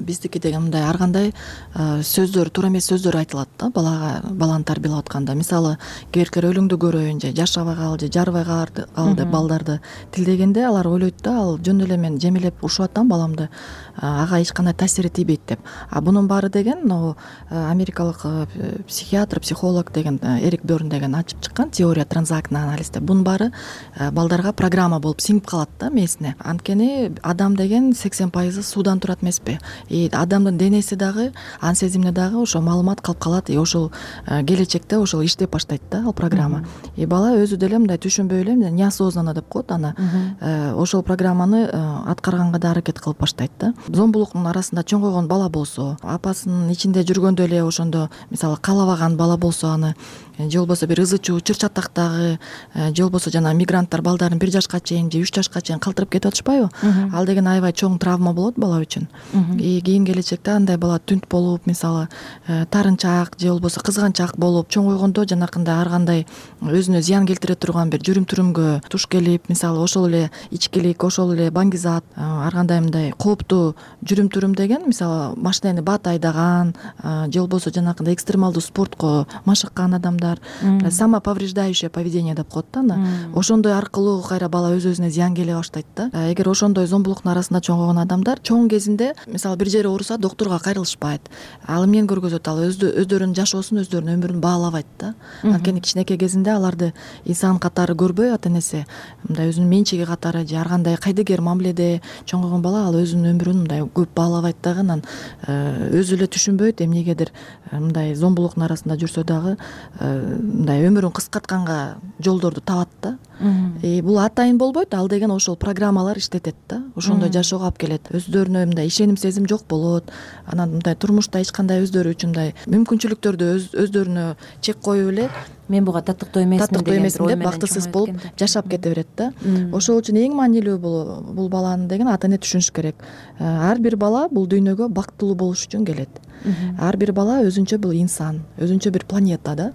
U: биздики деген мындай ар кандай сөздөр, туура эмес сөздөр айтылат да баланы тарбиялап атканда. Мисалы, кээ биркилер өлүңдү көрөйүн же жашабай кал же жарбай кал деп балдарды тилдегенде алар ойлойт да, ал жөн эле мен жемелеп урушуп атам баламды, ага эч кандай таасири тийбейт деп. Бунун баары деген америкалык психиатр, психолог деген Эрик Бёрн деген ачып чыккан теория транзактный анализ деп. Бунун баары балдарга программа болуп сиңип калат да мээсине. Анткени адам деген 80% суудан турат эмеспи? Адамдын денеси дагы, ан сезимине дагы ошо маалымат калып калат. Ошол келечекте ошол иштеп баштайт да ал программа. Бала өзү деле мындай түшүнбөй эле неосознанно деп коет аны. Ошол программаны аткарганга да аракет кылып баштайт да. Зомбулуктун арасында чоңойгон бала болсо, апасынын ичинде жүргөндө эле ошондо мисалы каалабаган бала болсо аны, же болбосо бир ызы чуу чыр чатактагы, же болбосо жана мигранттар балдарын 1 жашка чейин же 3 жашка чейин калтырып кетип атышпайбы? Ал деген аябай чоң травма болот бала үчүн. Кийин келечекте андай бала түнт болуп, мисалы тарынчаак же болбосо кызганчаак болуп чоңойгондо жанакындай ар кандай өзүнө зыян келтире турган бир жүрүм-турумгө туш келип, мисалы ошол эле ичкилик, ошол эле баңгизат, ар кандай мындай кооптуу жүрүм-турум деген, мисалы машинени бат айдаган, же болбосо жанакындай экстремалдуу спортко машыккан адамдар, самоповреждающее поведение деп коет да аны. Ошондой аркылуу кайра бала өз-өзүнө зыян келе баштайт да. Эгер ошондой зомбулуктун арасында чоңойгон адамдар чоң кезинде мисалы бир жери ооруса доктурга кайрылышпайт. Ал эмнени көргөзөт? Ал өздөрүнүн жашоосун, өздөрүнүн өмүрүн баалабайт да. Анткени кичинекей кезинде аларды инсан катары көрбөй ата энеси мындай өзүнүн менчиги катары же ар кандай кайдыгер мамиледе чоңойгон бала ал өзүнүн өмүрүн мындай көп баалабайт дагы, анан өзү эле түшүнбөйт эмнегедир мындай зомбулуктун арасында жүрсө дагы мындай өмүрүн кыскартканга жолдорду табат да. Бул атайын болбойт, ал деген ошол программалар иштетет да. Ошондой жашоого алып келет. Өздөрүнө мындай ишеним сезим жок болот. Анан мындай турмушта эч кандай өздөрү үчүн мындай мүмкүнчүлүктөрдү өздөрүнө чек коюп эле
R: мен буга таттыктуу эмесмин
U: деп бактысыз болуп жашап кете берет да. Ошол үчүн эң маанилүү бул баланы деген ата эне түшүнүш керек. Ар бир бала бул дүйнөгө бактылуу болуш үчүн келет. Ар бир бала өзүнчө бул инсан, өзүнчө бир планета да.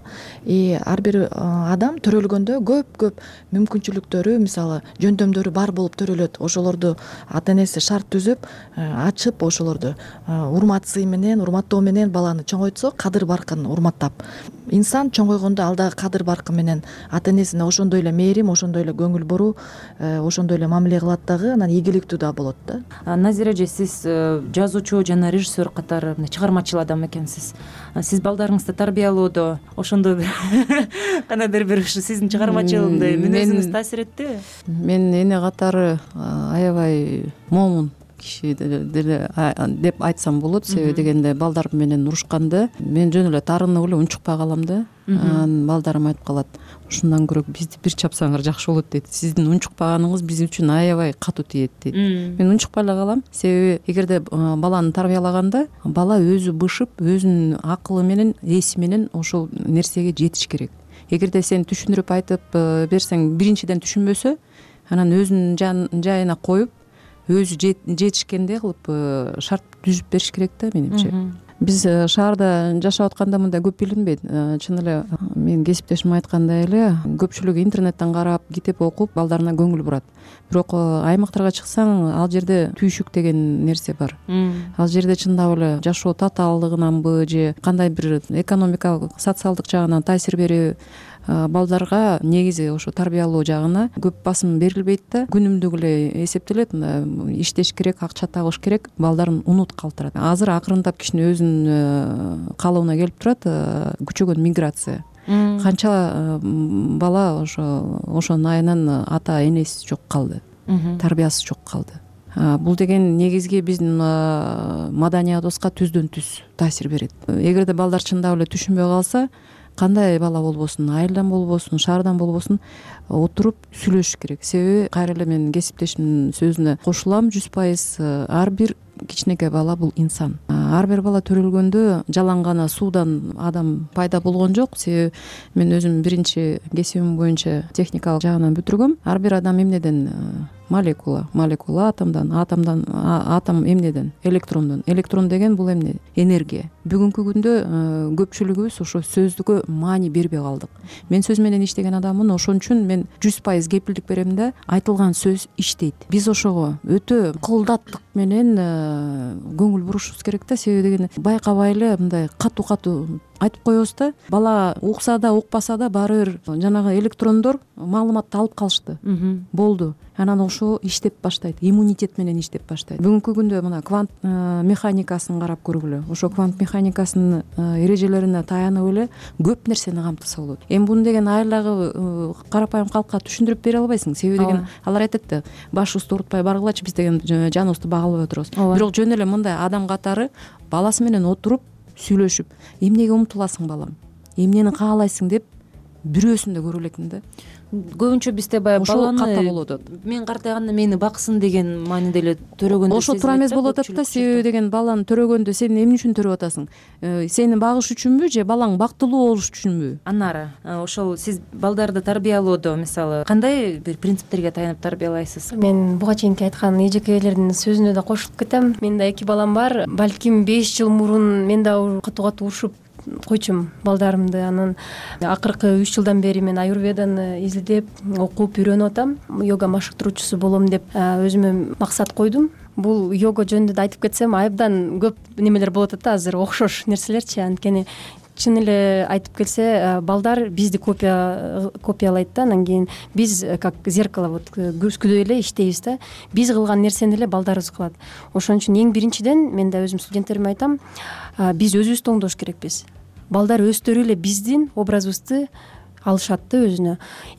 U: Ар бир адам төрөлгөндө көп мүмкүнчүлүктөрү, мисалы жөндөмдөрү бар болуп төрөлөт. Ошолорду ата энеси шарт түзүп, ачып, ошолорду урматсый менен, урматтоо менен баланы чоңойтсо, кадыр баркын урматтап, инсан чоңойгондо ал дагы кадыр баркын менен ата энесине ошондой эле мээрим, ошондой эле көңүл буруу, ошондой эле мамиле кылат дагы, анан ийгиликтүү да болот да.
R: Назира эже, сиз жазуучу жана режиссер катары чыгармачыл адам экенсиз. Сиз балдарыңызды тарбиялоодо ошондой бир кандайдыр бир сиздин чыгармачыл мүнөзүңүз таасир эттиби?
C: Мен эне катары аябай момун киши деле деп айтсам болот. Себеби дегенде балдар менен урушканда мен жөн эле тарынып эле унчукпай калам да. Анан балдарым айтып калат, ушундан көрө бизди бир чапсаңар жакшы болот дейт. Сиздин унчукпаганыңыз биз үчүн аябай катуу тиет дейт. Мен унчукпай эле калам. Себеби эгерде баланы тарбиялаганда бала өзү бышып, өзүнүн акылы менен, эси менен ошол нерсеге жетиш керек. Эгерде сен түшүндүрүп айтып берсең, биринчиден түшүнбөсө, анан өзүнүн жайына коюп, өзү жетишкендей кылып шарт түзүп бериш керек да менимче. Биз шаарда жашап атканда мындай көп билинбейт. Чын эле менин кесиптешим айткандай эле көпчүлүгү интернеттен карап, китеп окуп, балдарына көңүл бурат. Бирок аймактарга чыксаң, ал жерде түйшүк деген нерсе бар. Ал жерде чындап эле жашоо татаалдыгынанбы же кандай бир экономикалык, социалдык жагынан таасир бериби, балдарга негизи ошо тарбиялоо жагына көп басым берилбейт да, күнүмдүк эле эсептелет. Иштеш керек, акча табыш керек, балдарын унут калтырат. Азыр акырындап кичине өзүнүн калыбына келип турат күчөгөн миграция. Канча бала ошонун айынан ата энеси жок калды, тарбиясы жок калды. Бул деген негизги биздин маданиятыбызга түздөн түз таасир берет. Эгерде балдар чындап эле түшүнбөй калса, кандай бала болбосун, айылдан болбосун, шаардан болбосун, отуруп сүйлөшүш керек. Себеби кайра эле мен кесиптешимдин сөзүнө кошулам 100%. Ар бир кичинекей бала бул инсан. Ар бир бала төрөлгөндө жалаң гана суудан адам пайда болгон жок. Себеби мен өзүм биринчи кесибим боюнча техникалык жагынан бүтүргөм. Ар бир адам эмнеден? Молекула атом эмнеден? Электрондон. Электрон деген бул эмне? Энергия. Бүгүнкү күндө көпчүлүгүбүз ошо сөздүккө маани бербей калдык. Мен сөз менен иштеген адаммын, ошон үчүн мен 100% кепилдик берем да, айтылган сөз иштейт. Биз ошого өтө кылдаттык менен көңүл бурушубуз керек да. Себеби деген байкабай эле мындай катуу айтып коебуз да. Бала укса да, укпаса да баары бир жанагы электрондор маалыматты алып калышты. Болду. Анан ошо иштеп баштайт, иммунитет менен иштеп баштайт. Бүгүнкү күндө мына квант механикасын карап көргүлө. Ошо квант механикасынын эрежелерине таянып эле көп нерсени камтыса болот. Эми буну деген айылдагы карапайым калкка түшүндүрүп бере албайсың. Себеби деген алар айтат да, башыбызды оорутпай баргылачы, биз деген жаныбызды бага албай отурабыз. Бирок жөн эле мындай адам катары баласы менен отуруп сүйлөшүп, эмнеге умтуласың балам, эмнени каалайсың деп бирөөсүн да көрө элекмин да.
R: Көбүнчө бизде баягы баланы мен картайганда мени баксын деген мааниде эле төрөгөндө
C: ошо туура эмес болуп атат да. Себеби деген баланы төрөгөндө сен эмне үчүн төрөп атасың? Сени багыш үчүнбү же балаң бактылуу болуш үчүнбү?
R: Анары ошол сиз балдарды тарбиялоодо мисалы кандай бир принциптерге таянып тарбиялайсыз?
E: Мен буга чейинки айткан эжекелердин сөзүнө да кошулуп кетем. Менин да 2 балам бар. Балким 5 жыл мурун мен да катуу урушуп койчумун балдарымды. Анан акыркы 3 жылдан бери мен аюрведаны изилдеп, окуп, үйрөнүп атам. Йога машыктыруучусу болом деп өзүмө максат койдум. Бул йога жөнүндө айтып кетсем, айыбдан көп немелер болот да азыр, окшош нерселерчи. Анткени чын эле айтып келсе, балдар бизди копиялайт да. Анан кийин биз как зеркало вот күзгүдөй эле иштейбиз да. Биз кылган нерсени эле балдарыбыз кылат. Ошон үчүн эң биринчиден мен да өзүм студенттериме айтам, биз өзүбүздү оңдош керекпиз. Балдар өздөрү эле биздин образыбызды алышат да өзүнө.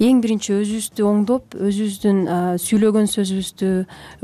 E: Эң биринчи өзүбүздү оңдоп, өзүбүздүн сүйлөгөн сөзүбүздү,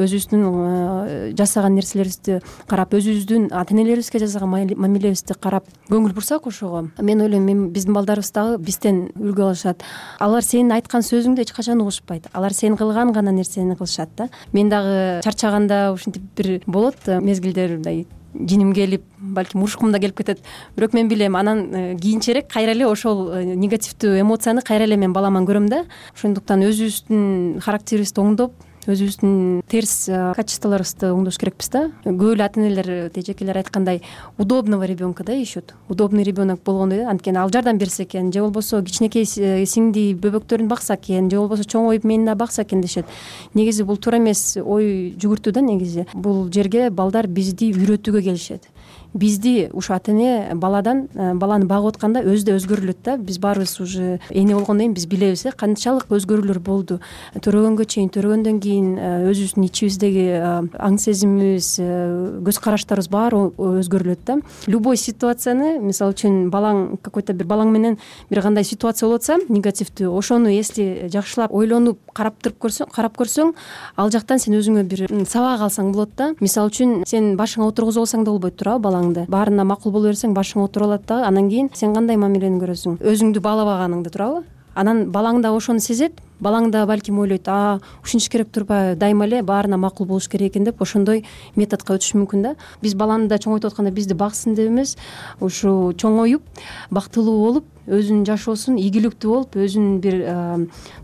E: өзүбүздүн жасаган нерселерибизди карап, өзүбүздүн ата-энелерибизге жасаган мамилебизди карап көңүл бурсак ошого, мен ойлойм, биздин балдарыбыз дагы бизден үлгү алышат. Алар сенин айткан сөзүңдү эч качан угушпайт. Алар сен кылган гана нерсени кылышат да. Мен дагы чарчаганда ушинтип бир болот мезгилдер, мындай жиним келип, балким урушкум да келип кетет. Бирок мен билем, анан кийинчерээк кайра эле ошол негативдүү эмоцияны кайра эле мен баламан көрөм да. Ошондуктан өзүбүздүн характерибизди оңдоп, өзүбүздүн терс качестволорубузду оңдош керекпиз да. Көп эле ата-энелер, эжекелер айткандай, удобного ребенка да ищут. Удобный ребенок болгондой, анткени ал жардам берсе экен, же болбосо кичинекей сиңди бөбөктөрүн бакса экен, же болбосо чоңоюп мени да бакса экен дешет. Негизи бул туура эмес ой жүгүртүү да. Негизи бул жерге балдар бизди үйрөтүүгө келишет. Бизди ушу ата-эне баланы багып атканда өзү да өзгөрүлөт да. Биз баарыбыз уже эне болгондон кийин биз билебиз канчалык өзгөрүүлөр болду. Төрөгөнгө чейин, төрөгөндөн кийин өзүбүздүн ичибиздеги аң сезимибиз, көз караштарыбыз баары өзгөрүлөт да. Любой ситуацияны, мисалы үчүн балаң какой-то бир балаң менен бир кандай ситуация болуп атса, негативдүү, ошону если жакшылап ойлонуп карап көрсөң, ал жактан сен өзүңө бир сабак алсаң болот да. Мисалы үчүн сен башыңа отургузуп алсаң да болбойт туурабы балаң. Баарына макул боло берсең, башыңа отуруп алат да. Анан кийин сен кандай мамилени көрөсүң? Өзүңдү баалабаганыңды, туурабы? Анан балаң да ошону сезет. Балаң да балким ойлойт, ушинтиш керек турбайбы, дайыма эле баарына макул болуш керек экен деп ошондой методко өтүш мүмкүн да. Биз баланы да чоңойтуп атканда бизди баксын деп эмес, ушу чоңоюп, бактылуу болуп, өзүнүн жашоосун ийгиликтүү болуп, өзүнүн бир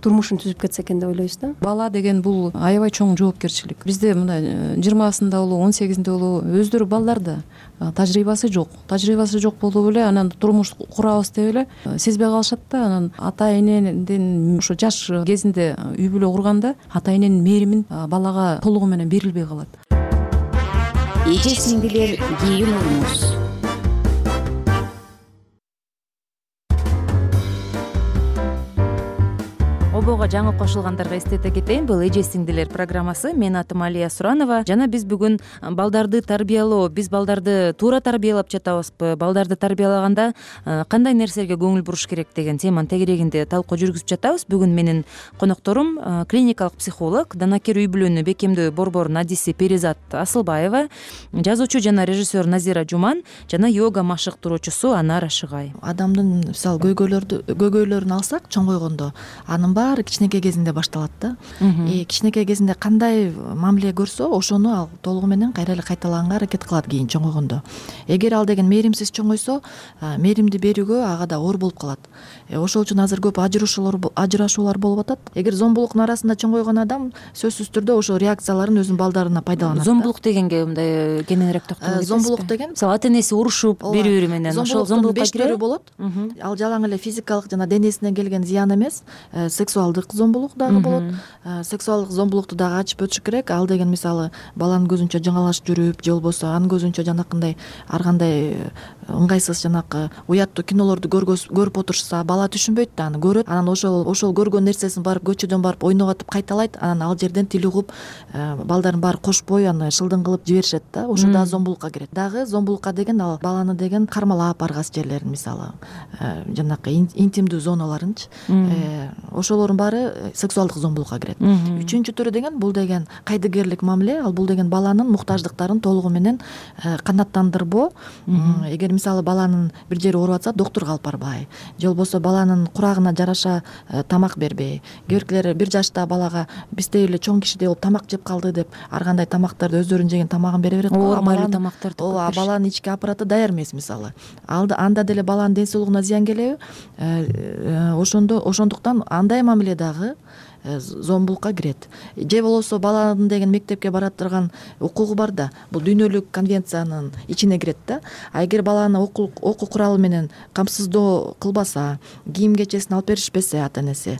E: турмушун түзүп кетсе экен деп ойлойбуз да.
C: Бала деген бул аябай чоң жоопкерчилик. Бизде мына 20-сында болобу, 18-инде болобу, өздөрү балдар да тажрыйбасы жок болуп эле анан турмуш курабыз деп эле сезбей калышат да. Анан ата-энеден ошо жаш кезинде үй бүлө курганда ата-эненин мээримин балага толугу менен берилбей калат.
T: Эже сиңдилер, кийин уруңуз.
R: радиого жаңы кошулгандарга эстете кетейин, бул эже сиңдилер программасы. Менин атым Алия Суранова жана биз бүгүн балдарды тарбиялоо, биз балдарды туура тарбиялап жатабызбы, балдарды тарбиялаганда кандай нерселерге көңүл буруш керек деген теманын тегерегинде талкуу жүргүзүп жатабыз. Бүгүн менин конокторум клиникалык психолог, данакер үй бүлөнү бекемдөө борборунун адиси Перизат Асылбаева, жазуучу жана режиссер Назира Жуман жана йога машыктыруучусу Анар Ашыгай.
U: Адамдын мисалы көйгөйлөрүн алсак, чоңойгондо анын баары кичинекей кезинде башталат да. Кичинекей кезинде кандай мамиле көрсө, ошону ал толугу менен кайра эле кайталаганга аракет кылат кийин чоңойгондо. Эгер ал деген мээримсиз чоңойсо, мээримди берүүгө ага да оор болуп калат. Ошол үчүн азыр көп ажырашуулар болуп атат. Эгер зомбулуктун арасында чоңойгон адам сөзсүз түрдө ошол реакцияларын өзүнүн балдарына пайдаланат.
R: Зомбулук дегенге мындай кененирээк токтоло кетесизби?
U: Зомбулук деген
R: мисалы ата энеси урушуп бири-бири менен ошол зомбулукка кирет
U: болот. Ал жалаң эле физикалык жана денесине келген зыян эмес, сексуалдык зомбулук дагы болот. Сексуалдык зомбулукту дагы ачып өтүш керек. Ал деген мисалы баланын көзүнчө жаңалашып жүрүп, же болбосо анын көзүнчө жанакындай ар кандай ыңгайсыз жанакы уяттуу кинолорду көрүп отурушса, бала түшүнбөйт да, аны көрөт, анан ошол көргөн нерсесин барып көчөдөн барып ойноп атып кайталайт, анан ал жерден тил угуп, балдарын баары кошпой аны шылдың кылып жиберишет да. Ошо дагы зомбулукка кирет. Дагы зомбулукка деген ал баланы деген кармалап баргас жерлерин, мисалы жанакы интимдүү зоналарынчы, ошолордун баары сексуалдык зомбулукка кирет. Үчүнчү түрү деген бул деген кайдыгерлик мамиле. Ал бул деген баланын муктаждыктарын толугу менен канааттандырбоо. Эгер мисалы баланын бир жери ооруп атса, доктурга алып барбай, же болбосо баланын курагына жараша тамак бербей, кээ биркилер бир жашта балага бизде эле чоң кишидей болуп тамак жеп калды деп ар кандай тамактарды өздөрүнүн жеген тамагын бере берет.
R: Оор майлуу тамактарды.
U: Ооба, баланын ички аппараты даяр эмес мисалы. Анда деле баланын ден соолугуна зыян келеби? Ошондуктан андай мамиле дагы зомбулукка кирет. Же болбосо баланын деген мектепке бара турган укугу бар да, бул дүйнөлүк конвенциянын ичине кирет да. А эгер баланы окуу куралы менен камсыздоо кылбаса, кийим кечесин алып беришпесе ата энеси,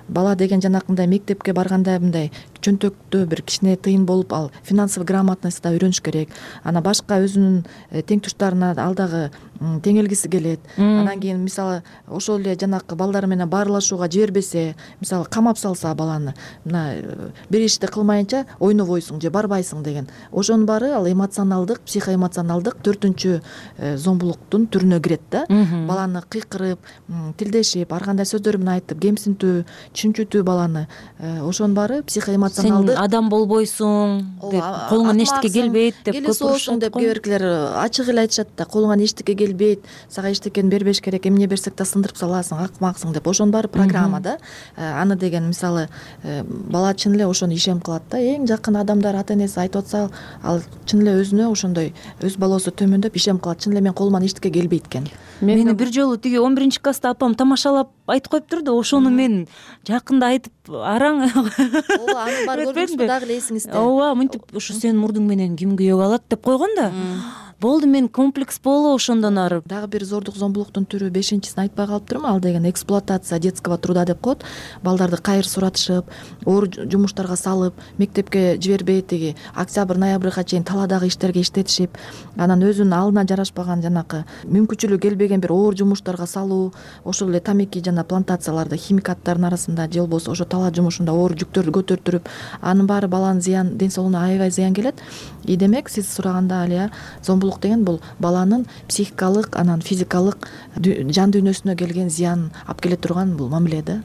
U: бала деген жанакындай мектепке барганда мындай чөнтөктө бир кичине тыйын болуп, ал финансовый грамотность да үйрөнүш керек. Ана башка өзүнүн теңтуштарына ал дагы теңелгиси келет. Анан кийин мисалы ошол эле жанакы балдар менен баарлашууга жибербесе, мисалы камап салса баланы, мына бир ишти кылмайынча ойнобойсуң же барбайсың деген. Ошонун баары ал эмоционалдык, психоэмоционалдык 4-чү зомбулуктун түрүнө кирет да. Баланы кыйкырып, тилдешип, ар кандай сөздөр менен айтып, кемсинтүү, чүнчүтүү баланы. Ошонун баары психоэмоционалдык.
R: Сен адам болбойсуң деп, колуңан эчтеке келбейт деп
U: көп урушат деп кээ биркилер ачык эле айтышат да, колуңан эчтеке келбейт, сага эчтекени бербеш керек, эмне берсек да сындырып саласың, акмаксың деп. Ошонун баары программа да. Аны деген мисалы бала чын эле ошону ишем кылат да. Эң жакын адамдар ата энеси айтып атса, ал чын эле өзүнө ошондой өз балоосу төмөндөп ишем кылат. Чын эле мен колуман эчтеке келбейт экен.
R: Мени бир жолу тиги 11-класста апам тамашалап айтып коюптур да, ошону мен жакында айтып араң.
U: Ооба, аны бар көрдүңүзбү дагы эле эсиңизде?
R: Ооба, мынтип ушу сенин мурдуң менен ким күйөөгө алат деп койгон да. Болду, мен комплекс боло ошондон ары.
U: Дагы бир зордук зомбулуктун түрү 5-син айтпай калыптырмын. Ал деген эксплуатация детского труда деп коет. Балдарды кайыр суратышып, оор жумуштарга салып, мектепке жибербей тиги октябрь, ноябрга чейин таладагы иштерге иштетишип, анан өзүнүн алдына жарашпаган жанакы мүмкүнчүлүгү келбеген бир оор жумуштарга салуу, ошол эле тамеки жана плантацияларды химикаттардын арасында же болбосо ошо тала жумушунда оор жүктөрдү көтөртүрүп, анын баары баланын зыян, ден соолугуна аябай зыян келет. Демек, сиз сураганда Алия, зомбулук деген бул баланын психикалык, анан физикалык жан дүйнөсүнө келген зыян алып келе турган бул мамиле да.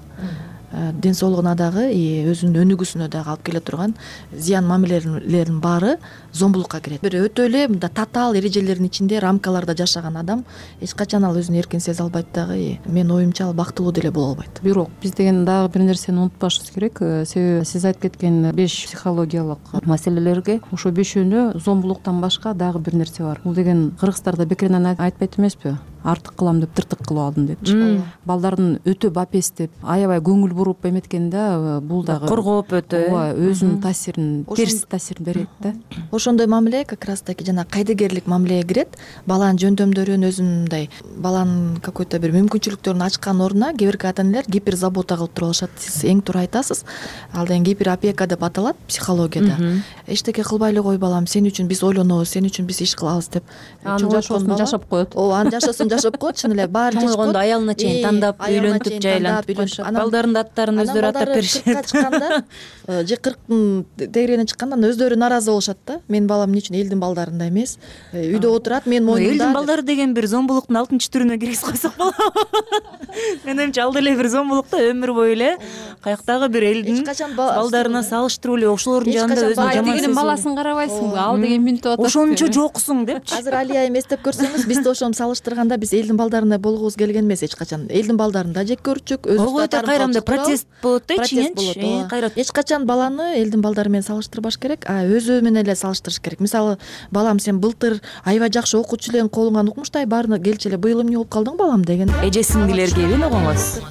U: Ден соолугуна дагы, өзүнүн өнүгүүсүнө дагы алып келе турган зыян мамилелеринин баары зомбулукка кирет. Бир өтө эле мындай татаал эрежелердин ичинде, рамкаларда жашаган адам эч качан ал өзүн эркин сезе албайт дагы. Менин оюмча ал бактылуу деле боло албайт.
C: Бирок биз деген дагы бир нерсени унутпашыбыз керек. Себеби сиз айтып кеткен 5 психологиялык маселелерге ошо 5-өнө зомбулуктан башка дагы бир нерсе бар. Бул деген кыргыздарда бекеринен айтпайт эмеспи? Артык кылам деп тыртык кылып алдым депчи. Балдардын өтө бапестеп, аябай көңүл буруп эметкен да, бул дагы
R: коргоп өтө.
C: Ооба, өзүнүн таасирин, терс таасирин берет да.
U: Ошондой мамиле как раз таки жана кайдыгерлик мамилеге кирет. Баланын жөндөмдөрүн өзүнүн мындай баланын какой-то бир мүмкүнчүлүктөрүн ачкан ордуна кээ бирки ата энелер гиперзабота кылып туруп алышат. Сиз эң туура айтасыз. Ал деген гиперопека деп аталат психологияда. Эчтеке кылбай эле кой балам, сен үчүн биз ойлонобуз, сен үчүн биз иш кылабыз деп.
C: Анын жашоосун жашап коет.
U: Ооба, анын жашоосун жашап коет чын эле баары
R: чоңойгондо аялына чейин тандап үйлөнтүп жайлантып коюшат, балдардын аттарын өздөрү аттап беришет.
U: 40ка чыкканда же 40тын тегерегине чыкканда өздөрү нааразы болушат да. Менин балам эмне үчүн элдин балдарындай эмес, үйдө отурат, мен мойнумда.
R: Элдин балдары деген бир зомбулуктун 6 түрүнө киргизип койсок болобу? Менин оюмча ал деле бир зомбулук да, өмүр бою эле каяктагы бир элдин балдарына салыштырып эле ошолордун жанында өзүн жаман
C: дегенин баласын карабайсыңбы, ал деген мүнөттүп атат.
R: Ошончо жоксуң депчи.
U: Азыр Алия эми эстеп көрсөңүз, биз да ошону салыштырганда биз элдин балдарындай болгубуз келген эмес эч качан. Элдин балдарын да жек көрчүк, өзүбүз да
R: кайрамда протест болот да ичиненчи.
U: Эч качан баланы элдин балдары менен салыштырбаш керек, өзү менен эле салыштырыш керек. Мисалы, балам сен былтыр аябай жакшы окуучу элең, колуңан укмуштай баарына келчи эле, быйыл эмне болуп калдың балам деген.
R: Эже сиңдилерге угуңуз.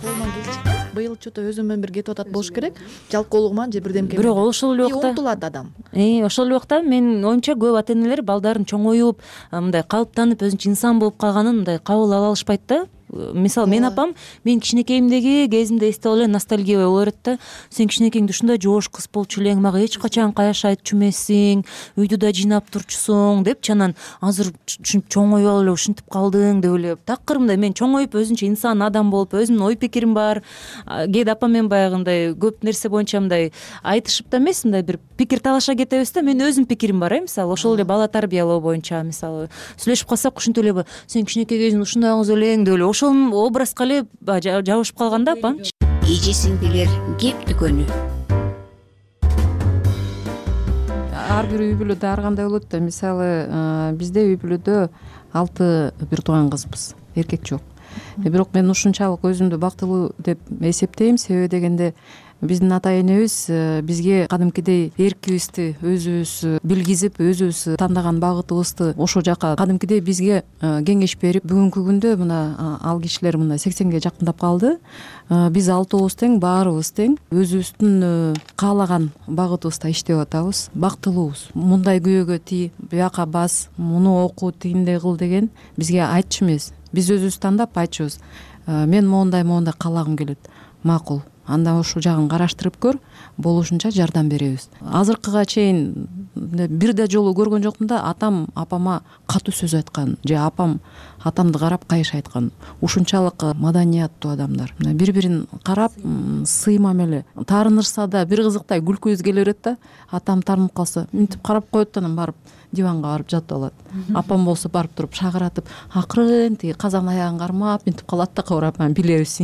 U: Быйыл что-то өзүм менен бирге кетип атат болуш керек. Жалкоолугуман же бирдемке.
R: Бирок ошол эле убакта
U: умтулат адам.
R: Ошол эле убакта менин оюмча көп ата энелер балдарын чоңоюп, мындай калыптанып, өзүнчө инсан болуп калганын мындай кабыл ала алышпайт да. Мисалы, менин апам мен кичинекейимдеги кезимде эстеп эле ностальгия боло берет да. Сен кичинекейиңде ушундай жоош кыз болчу элең, мага эч качан каяш айтчу эмессиң, үйдү да жыйнап турчусуң депчи. Анан азыр ушинтип чоңоюп алып эле ушинтип калдың деп эле такыр мындай мен чоңоюп өзүнчө инсан адам болуп, өзүмдүн ой пикирим бар. Кээде апам менен баягындай көп нерсе боюнча мындай айтышып да эмес, мындай бир пикир талаша кетебиз да. Менин өзүмдүн пикирим бар, мисалы ошол эле бала тарбиялоо боюнча, мисалы сүйлөшүп калсак ушинтип эле сен кичинекей кезиңде ушундай кыз элең деп эле ошол образга эле жабышып калган да апам.
T: Эже сиңдилер кеп дүкөнү.
C: Ар бир үй бүлөдө ар кандай болот да. Мисалы, бизде үй бүлөдө 6 бир тууган кызбыз, эркек жок. Бирок мен ушунчалык өзүмдү бактылуу деп эсептейм. Себеби дегенде биздин ата энебиз бизге кадимкидей эркибизди өзүбүз билгизип, өзүбүз тандаган багытыбызды ошол жака кадимкидей бизге кеңеш берип, бүгүнкү күндө мына ал кишилер мына 80ге жакындап калды. Биз 6 тең, баарыбыз тең, өзүбүздүн каалаган багытыбызда иштеп атабыз, бактылуубуз. Мындай күйөөгө тий, бияка бас, муну оку, тигиндей кыл деген бизге айтчу эмес. Биз өзүбүз тандап айтчубуз. Мен моундай каалагым келет. Макул. Анда ушул жагын караштырып көр, болушунча жардам беребиз. Азыркыга чейин бир да жолу көргөн жокмун да атам апама катуу сөз айткан же апам атамды карап кайыш айткан. Ушунчалык маданияттуу адамдар. Бири-бирин карап, сый мамиле. Таарынышса да бир кызыктай күлкүбүз келе берет да. Атам таарынып калса, мынтип карап коет, анан барып диванга барып жатып алат. Апам болсо барып туруп шагыратып, акырын тиги казан аягын кармап мынтип калат да, кабырап, билебиз,